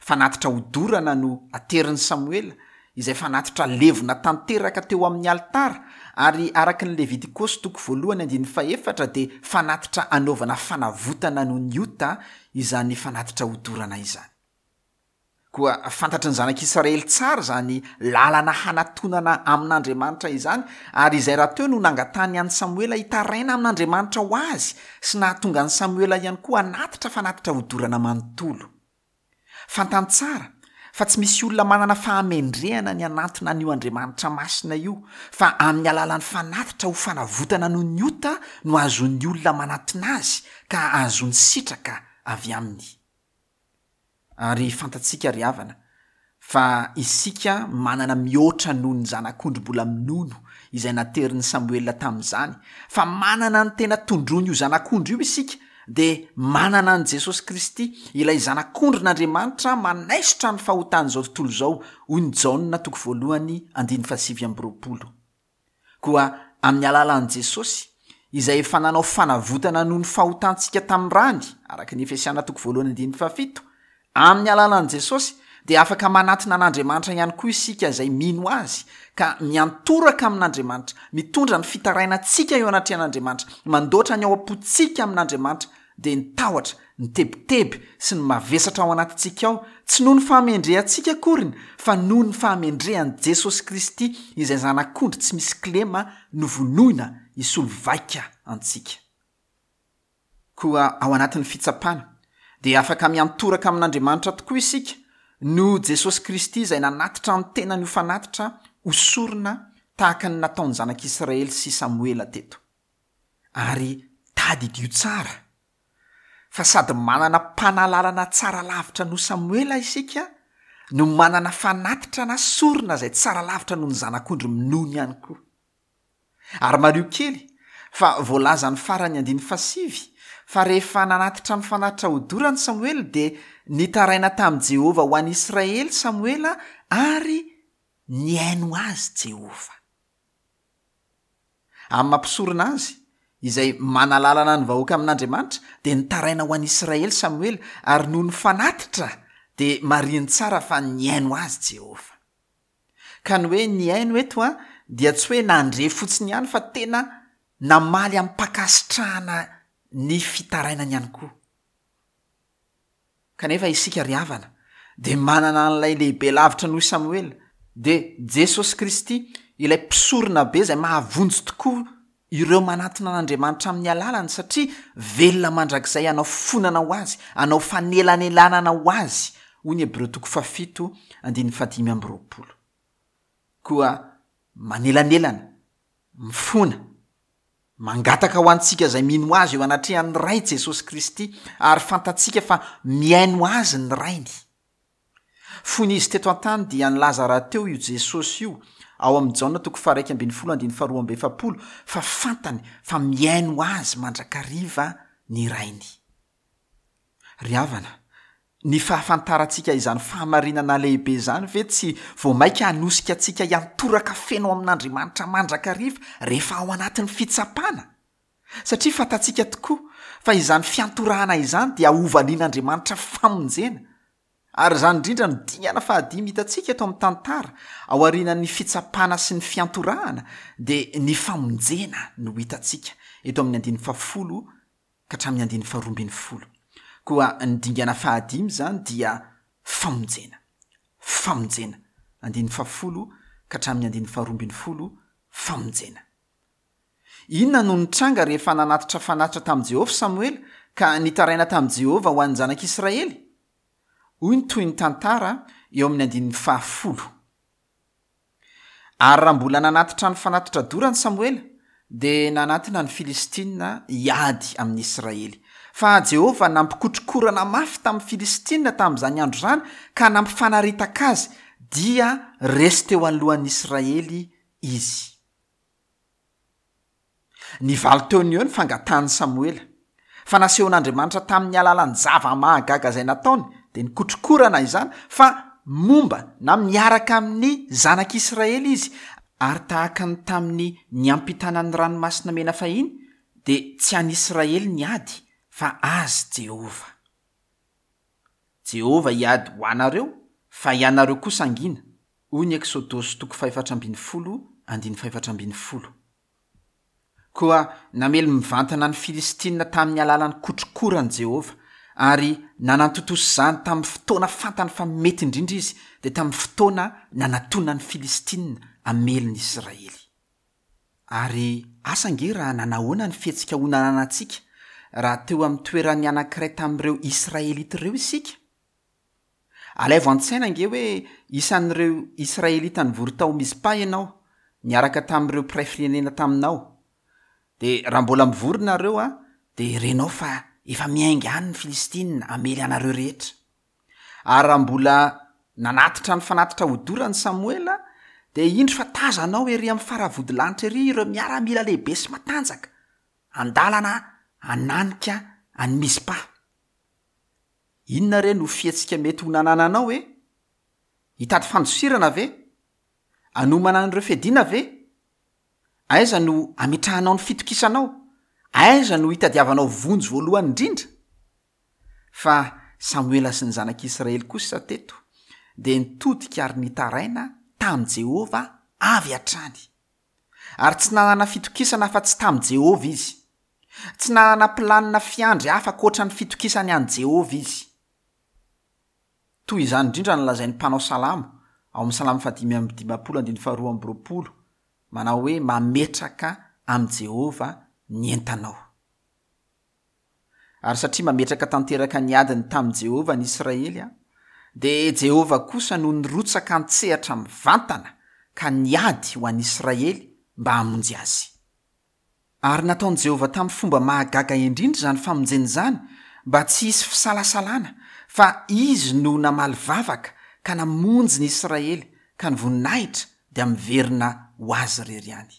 Fanatitra hodorana no aterin'i Samoela, izay fanatitra levona tanteraka teo amin'ny alitara, ary araka ny Levitikosy toko voalohany andininy fahefatra dia fanatitra anaovana fanavotana noho ny ota izany fanatitra hodorana izany. Koa fantatry ny zanak'Israely tsara izany lalana hanatonana amin'Andriamanitra izany, ary izay rahateo no nangatahany an'i Samoela hitaraina amin'Andriamanitra ho azy sy nahatonga an'i Samoela ihany koa hanatitra fanatitra hodorana manontolo. Fantany tsara fa tsy misy olona manana fahamendrehana ny hanantona an'io Andriamanitra masina io, fa amin'ny alalan'ny fanatitra ho fanavotana noho ny ota no ahazoan'ny olona manatona azy ka ahazoany sitraka avy aminy. Ary fantatsika ry havana fa isika manana mihoatra noho ny zanak'ondry mbola minono izay naterin'i Samoela tamin'izany, fa manana ny tena tondroiny io zanak'ondry io isika, dia manana an'i Jesosy Kristy, ilay zanak'ondrin'Andriamanitra manaisotra ny fahotan'izao tontolo izao, hoy ny Jaona toko voalohany andininy fahasivy amby roapolo. Koa amin'ny alalan'i Jesosy, izay efa nanao fanavotana noho ny fahotantsika tamin'ny rany, araka ny Efesiana toko voalohany andininy fahafito, amin'ny alalan'i Jesosy dia afaka manatona an'Andriamanitra ihany koa isika izay mino azy, ka miantoraka amin'Andriamanitra, mitondra ny fitarainantsika eo anatrehan'Andriamanitra, mandoatra ny ao am-pontsika amin'Andriamanitra, dia ny tahotra, ny tebiteby sy ny mavesatra ao anatintsika ao, tsy noho ny fahamendrehantsika akoriny, fa noho ny fahamendrehan'i Jesosy Kristy izay zanak'ondry tsy misy kilema novonoina hisolo vaika antsika. Koa ao anatin'ny fitsapana dia afaka miantoraka amin'Andriamanitra tokoa isika noho Jesosy Kristy izay nanatitra ny tenany ho fanatitra ho sorona tahaka ny nataon'ny zanak'Israely sy Samoela teto. Ary tadidio tsara fa sady manana mpanalalana tsara lavitra noho Samoela isika no manana fanatitra na sorona izay tsara lavitra noho ny zanak'ondry minono ihany koa. Ary mariho kely Fa voalazan'ny faran'ny andininy fahasivy fa rehefa nanatitra ny fanatitra hodorany Samoela dia nitaraina tamin'i Jehovah ho an'i Israely Samoela ary nihaino azy Jehovah. Amin'ny maha mpisorona azy, izay manalalana ny vahoaka amin'Andriamanitra, dia nitaraina ho an'i Israely Samoela ary noho ny fanatitra dia marihiny tsara fa nihaino azy Jehovah. Ka ny hoe nihaino eto a dia tsy hoe nandre fotsiny ihany fa tena namaly amim-pankasitrahana ny fitarainany ihany koa. Kanefa isika ry havana dia manana an'ilay lehibe lavitra noho i Samoela, dia Jesosy Kristy, ilay mpisorona be izay mahavonjy tokoa ireo manatona an'Andriamanitra amin'ny alalany satria velona mandrakizay hanao fonana ho azy, hanao fanelanelanana ho azy, hoy ny Hebreo toko fahafito andininy fahadimy amby roapolo. Koa manelanelana, mifona, mangataka ho antsika izay mino azy eo anatrehan'ny Ray Jesosy Kristy ary fantatsika fa mihaino azy ny Rainy. Fony izy teto an-tany dia nilaza rahateo io Jesosy io ao amin'ny Jaona toko faha-iraika ambin'ny folo andininy faharoa amby efapolo fa fantany fa mihaino azy mandrakariva ny Rainy. Ry havana, ny fahafantarantsika izany fahamarinana lehibe izany ve tsy vao mainka hanosika antsika hiantoraka feno amin'Andriamanitra mandrakariva rehefa ao anatin'ny fitsapana? Satria fantatsika tokoa fa izany fiantorahana izany dia hovalian'Andriamanitra famonjena. Ary izany indrindra no dingana fahadimy hitantsika eto amin'ny tantara, ao aorianan'ny fitsapana sy ny fiantorahana dia ny famonjena no hitantsika eto amin'ny andininy fahafolo ka hatramin'ny andininy faharoa ambin'ny folo. Koa ny dingana fahadimy izany dia famonjena. Famonjena. Andininy fahafolo ka hatramin'ny andininy faharoa ambin'ny folo, famonjena. Inona no nitranga rehefa nanatitra fanatitra tamin'i Jehovah Samoela ka nitaraina tamin'i Jehovah ho an'ny zanak'Israely? Hoy ny tohin'ny tantara eo amin'ny andininy fahafolo. Ary raha mbola nanatitra ny fanatitra dorany Samoela, dia nanatona ny Filistina hiady amin'ny Israely. Fa Jehovah nampikotrokorana mafy tamin'ny Filistina tamin'izany andro izany ka nampifanaritaka azy, dia resy teo anoloan'ny Israely izy. Nivaly teo no eo ny fangatahan'i Samoela. Fa nasehon'Andriamanitra tamin'ny alalan'ny zava-mahagaga izay nataony, dia nikotrokorana izany, fa momba na miaraka amin'ny zanak'Israely izy, ary tahaka ny tamin'ny niampitana ny ranomasina mena fahiny, dia tsy an'Israely ny ady, fa azy Jehovah. Jehovah hiady ho anareo, fa ianareo kosa hangina, hoy ny Eksodosy toko fahefatra ambin'ny folo, andininy fahefatra ambin'ny folo. Koa namely mivantana ny Filistina tamin'ny alalan'ny kotrokorany Jehovah, ary nanantontosa izany tamin'ny fotoana fantany fa mety indrindra izy, dia tamin'ny fotoana nanatona ny Filistina hamely ny Israely. Ary asa ange raha nanahoana ny fihetsika ho nananantsika raha teo amin'ny toeran'ny anankiray tamin'ireo Israelita ireo isika? Alaivo an-tsaina ange hoe isan'ireo Israelita nivory tao Mizpa ianao, niaraka tamin'ireo mpiray firenena taminao. Dia raha mbola mivory nareo a, dia renao fa efa miainga any ny Filistina hamely anareo rehetra. Ary raha mbola nanatitra ny fanatitra hodorany Samoela, dia indro fa tazanao ery amin'ny faravodilanitra ery ireo miaramila lehibe sy matanjaka, andalana hananika an'i Mizpa. Inona re no fihetsika mety ho nanananao e? Hitady fandosirana ve? Hanomana an'ireo fiadiana ve? Aiza no ametrahanao ny fitokisanao? Aiza no hitadiavanao vonjy voalohany indrindra? Fa Samoela sy ny zanak'Israely kosa teto dia nitodika ary nitaraina tamin'i Jehovah avy hatrany. Ary tsy nanana fitokisana afa-tsy tamin'i Jehovah izy. Tsy nanana planina fiandry hafa ankoatra ny fitokisany an'i Jehovah izy. Toy izany indrindra no lazain'ny mpanao salamo ao amin'ny salamo fahadimy amby dimampolo andininy faharoa amby roapolo, manao hoe mametraka amin'i Jehovah ny entanao. Ary satria mametraka tanteraka ny adiny tamin'i Jehovah ny Israely, dia Jehovah kosa no nirotsaka an-tsehatra mivantana ka niady ho an'i Israely mba hamonjy azy. Ary nataon'i Jehovah tamin'ny fomba mahagaga indrindra izany famonjena izany mba tsy hisy fisalasalana fa izy no namaly vavaka ka namonjy ny Israely ka ny voninahitra dia miverina ho azy irery ihany.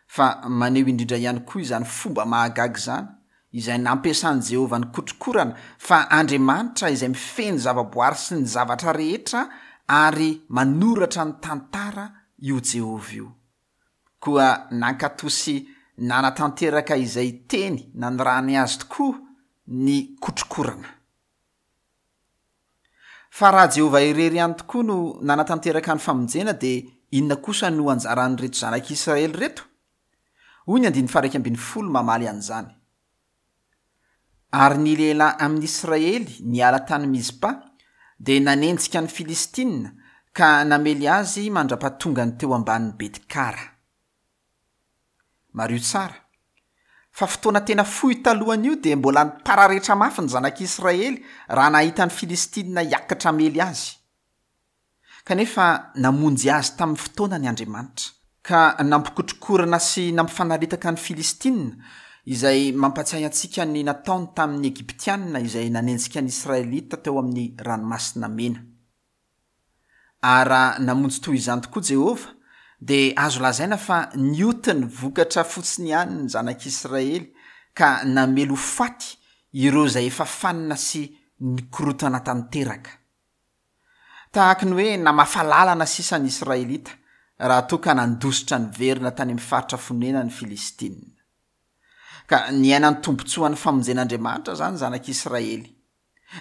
Fa maneho indrindra ihany koa izany fomba mahagaga izany, izay nampiasan'i Jehovah ny kotrokorana, fa Andriamanitra izay mifehy ny zavaboary sy ny zavatra rehetra ary manoratra ny tantara io Jehovah io. Koa nankatò sy nanatanteraka izay teny nanirahany azy tokoa ny kotrokorana. Fa raha Jehovah irery ihany tokoa no nanatanteraka ny famonjena, dia inona kosa no anjaran'ireto zanak'Israely ireto? Hoy ny andininy faha-iraika ambin'ny folo mamaly an'izany. Ary ny lehilahy amin'ny Israely niala tany Mizpa dia nanenjika ny Filistina ka namely azy mandra-pahatongany teo ambanin'i Betkara. Mariho tsara fa fotoana tena fohy talohan'io dia mbola nipararetra mafy ny zanak'Israely raha nahita ny Filistina hiakatra hamely azy. Kanefa namonjy azy tamin'ny fotoanany Andriamanitra, ka nampikotrokorana sy nampifanaritaka ny Filistina, izay mampatsiahy antsika ny nataony tamin'ny Egyptiana izay nanenjika ny Israelita teo amin'ny Ranomasina Mena. Ary raha namonjy toy izany tokoa Jehovah, dia azo lazaina fa nioty ny vokatra fotsiny ihany ny zanak'Israely ka namely ho faty ireo izay efa fanina sy nikorotana tanteraka. Tahaka ny hoe namafa lalana sisa ny Israelita raha toa ka nandositra niverina tany amin'ny faritra fonenan'ny Filistina. Ka niaina ny tombontsoan'ny famonjen'Andriamanitra izany ny zanak'Israely.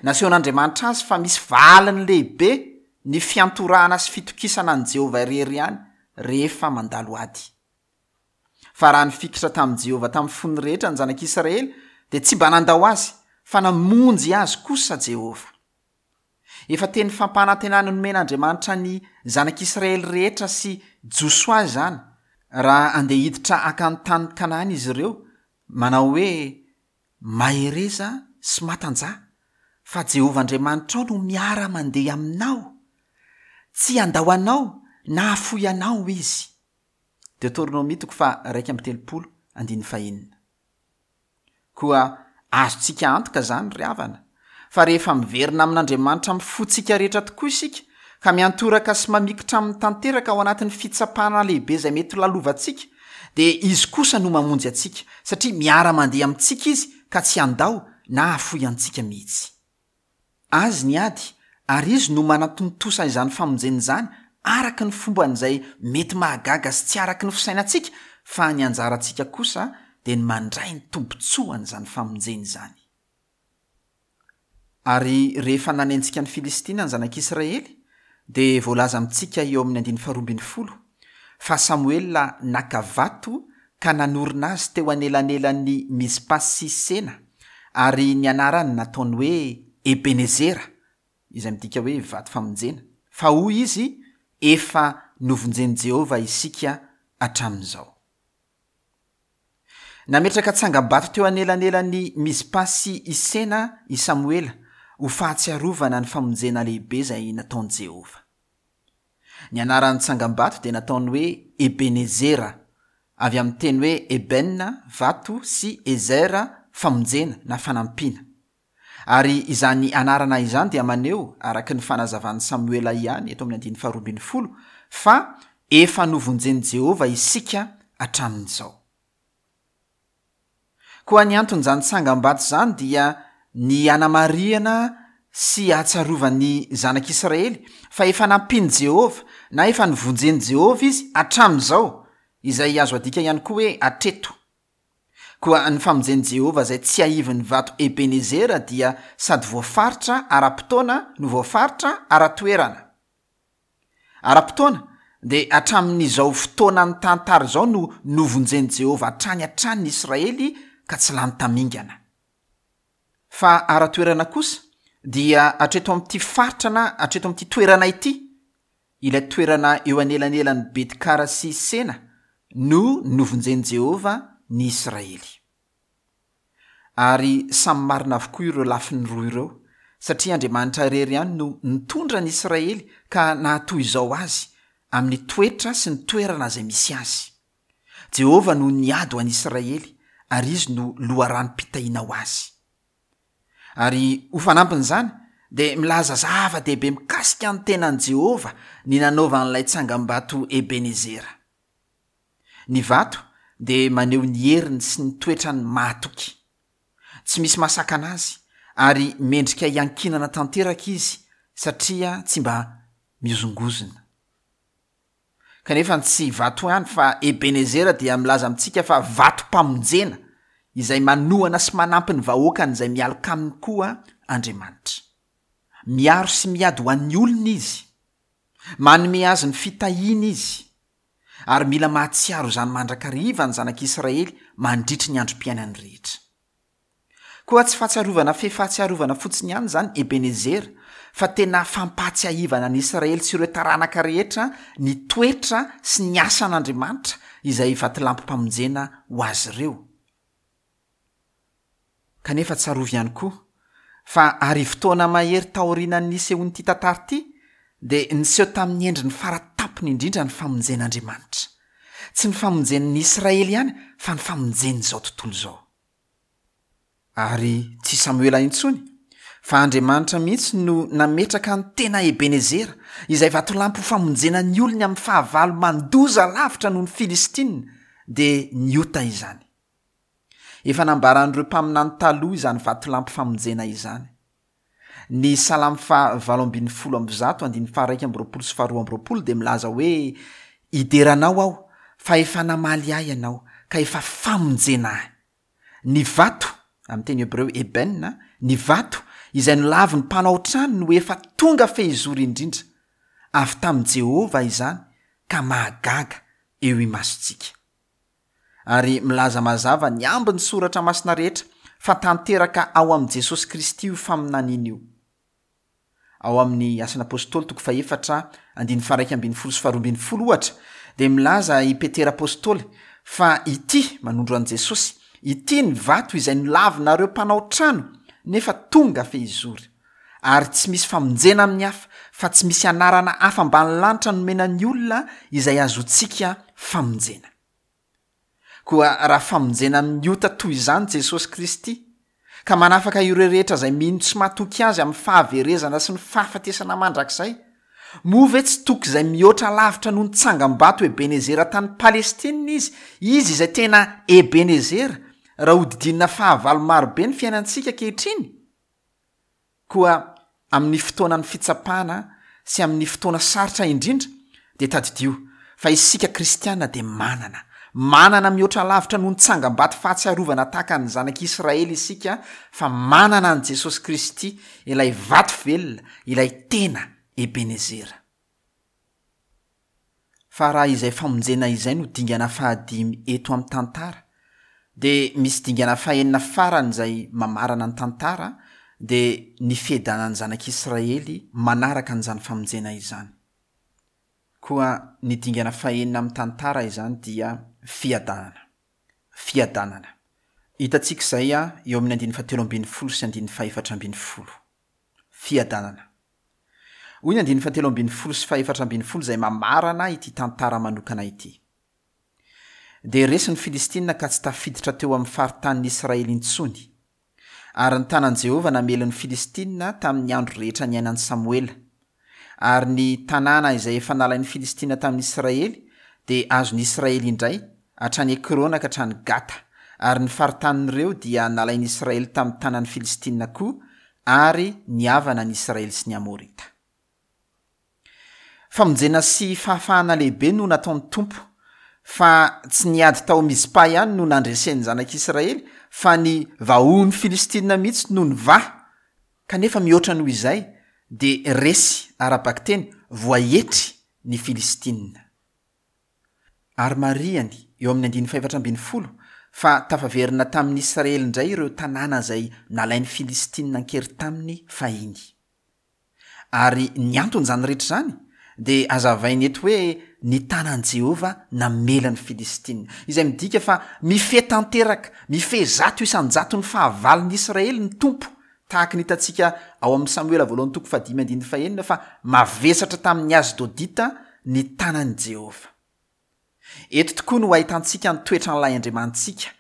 Nasehon'Andriamanitra azy fa misy valiny lehibe ny fiantorahana sy fitokisana an'i Jehovah irery ihany rehefa mandalo ady. Fa raha nifikitra tamin'i Jehovah tamin'ny fony rehetra ny zanak'Israely, dia tsy mba nandao azy, fa namonjy azy kosa Jehovah. Efa teny fampanantenana nomen'Andriamanitra ny zanak'Israely rehetra sy Josoa izany, raha andeha hiditra haka ny tany Kanana izy ireo, manao hoe, Mahereza sy matanjaha, fa Jehovah Andriamanitrao no miara-mandeha aminao. Tsy handao anao na hahafoy anao Izy. Deoteronomia toko faha-iraika amby telopolo andininy fahenina. Koa azontsika antoka izany, ry havana, fa rehefa miverina amin'Andriamanitra amin'ny fontsika rehetra tokoa isika, ka miantoraka sy mamikitra aminy tanteraka ao anatin'ny fitsapana lehibe izay mety ho lalovantsika, dia Izy kosa no mamonjy antsika, satria miara-mandeha amintsika Izy ka tsy handao na hahafoy antsika mihitsy. Azy ny ady, ary Izy no manatontosa izany famonjena izany araka ny fomban'izay mety mahagaga sy tsy araka ny fisainantsika, fa ny anjarantsika kosa dia ny mandray ny tombontsoan'izany famonjena izany. Ary rehefa nanenjika ny Filistina ny zanak'Israely, dia voalaza amintsika eo amin'ny andininy faharoa ambin'ny folo fa Samoela naka vato ka nanorina azy teo anelanelan'ny Mizpa sy Sena, ary ny anarany nataony hoe Ebenezera, izay midika hoe vato famonjena, fa hoy izy, efa novonjen'i Jehovah isika hatramin'izao. Nametraka tsangam-bato teo anelanelan'ny Mizpa sy i Sena i Samoela ho fahatsiarovana ny famonjena lehibe izay nataon'i Jehovah. Ny anaran'ny tsangam-bato dia nataony hoe Ebenezera, avy amin'ny teny hoe Eben, vato, sy Ezer, famonjena na fanampiana. Ary izany anarana izany dia maneho, araka ny fanazavan'i Samoela ihany eto amin'ny andininy faharoa ambin'ny folo, fa efa novonjen'i Jehovah isika hatramin'izao. Koa ny anton'izany tsangam-bato izany dia ny hanamarihana sy hahatsiarovan'ny zanak'Israely fa efa nampian'i Jehovah na efa novonjen'i Jehovah izy hatramin'izao, izay azo adika ihany koa hoe hatreto. Koa ny famonjen'i Jehovah izay tsiahivin'ny vato Ebenezera dia sady voafaritra ara-potoana no voafaritra ara-toerana. Ara-potoana dia hatramin'izao fotoanan'ny tantara izao no novonjen'i Jehovah hatrany hatrany ny Israely ka tsy lany tamingana. Fa ara-toerana kosa dia hatreto amin'ity faritra na hatreto amin'ity toerana ity, ilay toerana eo anelanelan'i Betkara sy Sena no novonjen'i Jehovah ny Israely. Ary samy marina avokoa ireo lafiny roa ireo, satria Andriamanitra irery ihany no nitondra ny Israely ka nahatoy izao azy amin'ny toetra sy ny toerana izay misy azy. Jehovah no niady ho an'i Israely, ary Izy no loharanom-pitahiana ho azy. Ary ho fanampin'izany, dia milaza zava-dehibe mikasika ny tenan'i Jehovah ny nanaovan'ilay tsangam-bato Ebenezera. Ny vato dia maneho ny heriny sy ny toetrany mahatoky. Tsy misy mahasakana azy ary mendrika hiankinana tanteraka izy satria tsy mba mihozongozona. Kanefa tsy vato ihany fa Ebenezera dia milaza amintsika fa vatom-pamonjena izay manohana sy manampy ny vahoakany izay mialoka aminy koa Andriamanitra. Miaro sy miady ho an'ny olona izy. Manome azy ny fitahiana izy. Ary mila mahatsiaro izany mandrakariva ny zanak'Israely mandritry ny androm-piainany rehetra. Koa tsy fahatsiarovana fe fahatsiarovana fotsiny ihany izany Ebenezera, fa tena fampahatsiahivana ny Israely sy ireo taranaka rehetra ny toetra sy ny asan'Andriamanitra izay vatolampim-pamonjena ho azy ireo. Kanefa tsarovy ihany koa fa arivo taona mahery taorian'ny nisehoan'ity tantara ity dia niseho tamin'ny endriny faratampony indrindra ny famonjen'Andriamanitra. Tsy ny famonjen'ny Israely ihany fa ny famonjen'izao tontolo izao. Ary tsy Samoela intsony fa Andriamanitra mihitsy no nametraka ny tena Ebenezera izay vatolampy ho famonjena ny olony amin'ny fahavalo mandoza lavitra noho ny Filistina, dia niota izany. Efa nambaran'ireo mpaminany taloha izany vatolampy famonjena izany. Ny Salamo faha valo ambin'ny folo amby zato andininy faha iraika amby roapolo sy faharoa amby roapolo dia milaza hoe: Hidera anao aho fa efa namaly ahy ianao ka efa famonjena ahy. Ny vato, amin'ny teny hebreo eben, ny vato izay nolavin'ny mpanao trano no efa tonga fehizoro indrindra. Avy tamin'i Jehovah izany ka mahagaga eo imasontsika. Ary milaza mazava ny ambin'ny soratra masina rehetra fa tanteraka ao amin'i Jesosy Kristy io faminaniana io. Ao amin'ny Asan'ny Apôstôly toko fahefatra andininy faha iraika ambin'ny folo sy faharoa ambin'ny folo ohatra dia milaza i Petera Apôstôly fa ity, manondro an'i Jesosy, ity ny vato izay nolavinareo mpanao trano nefa tonga fehizoro. Ary tsy misy famonjena amin'ny hafa fa tsy misy anarana hafa ambany lanitra nomena ny olona izay azontsika famonjena. Koa raha famonjena amin'ny ota toy izany Jesosy Kristy, ka manafaka ireo rehetra izay mino tsy matoky azy amin'ny fahaverezana sy ny fahafatesana mandrakizay, moa ve tsy toky izay mihoatra lavitra noho ny tsangam-bato Ebenezera tany Palestina izy, izy izay tena Ebenezera, raha hodidinina fahavalo marobe ny fiainantsika ankehitriny? Koa amin'ny fotoanan'ny fitsapana sy amin'ny fotoana sarotra indrindra dia tadidio fa isika kristiana dia manana, manana mihoatra lavitra noho ny tsangam-bato fahatsiarovana tahaka ny zanak'Israely isika, fa manana an'i Jesosy Kristy, ilay vato velona, ilay tena Ebenezera. Fa raha izay famonjena izay no dingana fahadimy eto amin'ny tantara, dia misy dingana fahenina farany izay mamarana ny tantara, dia ny fiadanan'ny zanak'Israely manaraka an'izany famonjena izany. Koa ny dingana fahenina amin'ny tantara izany dia fiadanana. Fiadanana. Hitantsika izay eo amin'ny andininy fahatelo ambin'ny folo sy andininy fahefatra ambin'ny folo. Fiadanana. Hoy ny andininy fahatelo ambin'ny folo sy fahefatra ambin'ny folo izay mamarana ity tantara manokana ity. Dia resy ny Filistina ka tsy tafiditra teo amin'ny faritanin'ny Israely intsony. Ary ny tanan'i Jehovah namely ny Filistina tamin'ny andro rehetra niainan'i Samoela. Ary ny tanàna izay efa nalain'ny Filistina tamin'ny Israely dia azon'ny Israely indray hatrany Ekrona ka hatrany Gata. Ary ny faritanin'ireo dia nalain'ny Israely tamin'ny tanan'ny Filistina koa, ary nihavana ny Israely sy ny Amorita. Famonjena sy fahafahana lehibe no nataon'ny Tompo, fa tsy niady tao Mizpa ihany no nandresen'ny zanak'Israely, fa ny vahohon'ny Filistina mihitsy no nivaha. Kanefa mihoatra noho izay dia resy ara-bakiteny, voaetry ny Filistina. Ary marihany eo amin'ny andininy fahefatra ambin'ny folo fa tafaverina tamin'ny Israely indray ireo tanàna izay nalain'ny Filistina an-kery taminy fahiny. Ary ny anton'izany rehetra izany dia azavainy eto hoe ny tanan'i Jehovah namela ny Filistina, izay midika fa mifehy tanteraka, mifehy zato isan-jato ny fahavalon'ny Israely ny Tompo, tahaka ny hitantsika ao amin'ny Samoela voalohany toko fahadimy andininy fahenina fa mavesatra tamin'ny Asdodita ny tanan'i Jehovah. Eto tokoa no ahitantsika ny toetran'ilay Andriamanitsika,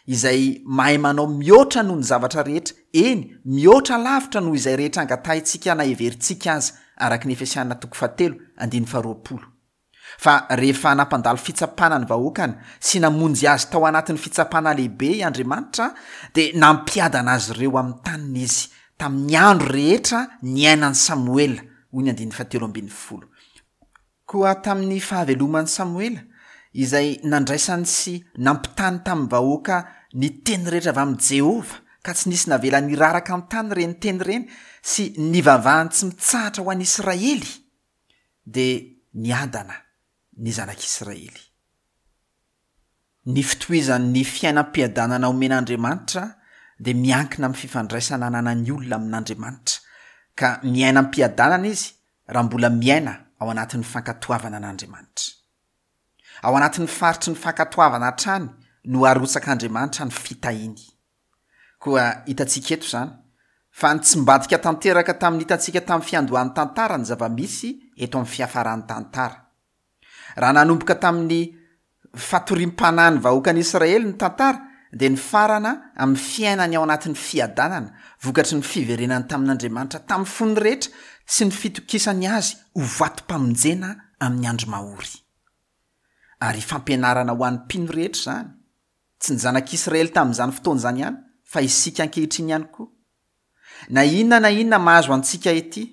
izay mahay manao mihoatra noho ny zavatra rehetra, eny, mihoatra lavitra noho izay rehetra angatahintsika na heverintsika aza, araka ny Efesiana toko fahatelo andininy faharoapolo. Fa rehefa nampandalo fitsapana ny vahoakany sy namonjy azy tao anatin'ny fitsapana lehibe i Andriamanitra, dia nampiadana azy ireo amin'ny taniny Izy tamin'ny andro rehetra niainan'i Samoela, hoy ny andininy fahatelo ambin'ny folo. Koa tamin'ny fahaveloman'i Samoela, izay nandraisany sy nampitany tamin'ny vahoaka ny teny rehetra avy amin'i Jehovah, ka tsy nisy navela niraraka an-tany ireny teny ireny, sy nivavahany tsy mitsahatra ho an'i Israely, dia niadana ny zanak'Israely. Ny fitohizan'ny fiainam-piadanana omen'Andriamanitra dia miankina amin'ny fifandraisana ananan'ny olona amin'Andriamanitra, ka miaina am-piadanana izy raha mbola miaina ao anatin'ny fankatoavana an'Andriamanitra. Ao anatin'ny faritry ny fankatoavana hatrany no arotsak'Andriamanitra ny fitahiany. Koa hitantsika eto izany fa nitsimbadika tanteraka tamin'ny hitantsika tamin'ny fiandohan'ny tantara ny zava-misy eto amin'ny fiafaran'ny tantara. Raha nanomboka tamin'ny fatoriam-panahin'ny vahoakan'Israely ny tantara, dia nifarana amin'ny fiainany ao anatin'ny fiadanana vokatry ny fiverenany tamin'Andriamanitra tamin'ny fony rehetra sy ny fitokisany azy ho vatom-pamonjena amin'ny andro mahory. Ary fampianarana ho an'ny mpino rehetra izany, tsy ny zanak'Israely tamin'izany fotoana izany ihany, fa isika ankehitriny ihany koa. Na inona na inona mahazo antsika ety,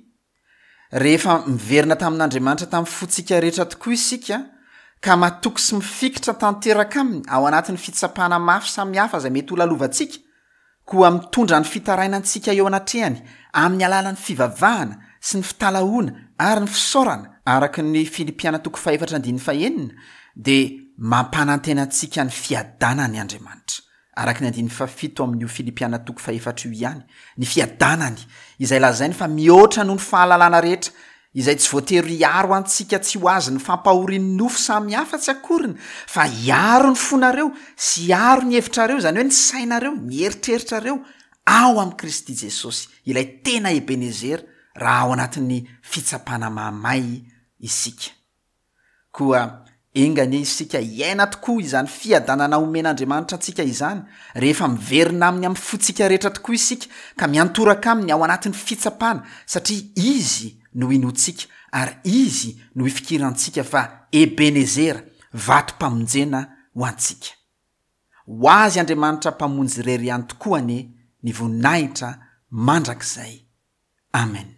rehefa miverina tamin'Andriamanitra tamin'ny fontsika rehetra tokoa isika, ka matoky sy mifikitra tanteraka aminy ao anatin'ny fitsapana mafy samihafa izay mety ho lalovantsika, koa mitondra ny fitarainantsika eo anatrehany amin'ny alalan'ny fivavahana sy ny fitalahoana ary ny fisaorana, araka ny Filipiana toko fahefatra andininy fahenina, dia mampanantena antsika ny fiadanany Andriamanitra. Araka ny andininy fahafito amin'io Filipiana toko fahefatra io ihany, ny fiadanany, izay lazainy fa mihoatra noho ny fahalalana rehetra, izay tsy voatery hiaro antsika tsy ho azon'ny fampahorian'ny nofo samihafa tsy akoriny, fa hiaro ny fonareo sy hiaro ny hevitrareo, izany hoe ny sainareo, ny eritreritrareo, ao amin'i Kristy Jesosy, ilay tena Ebenezera, raha ao anatin'ny fitsapana mahamay isika. Koa enga anie isika hiaina tokoa izany fiadanana omen'Andriamanitra antsika izany, rehefa miverina aminy amin'ny fontsika rehetra tokoa isika, ka miantoraka aminy ao anatin'ny fitsapana, satria Izy no inoantsika ary Izy no ifikirantsika fa Ebenezera, vatom-pamonjena ho antsika. Ho azy Andriamanitra Mpamonjy irery ihany tokoa anie ny voninahitra mandrakizay. Amen.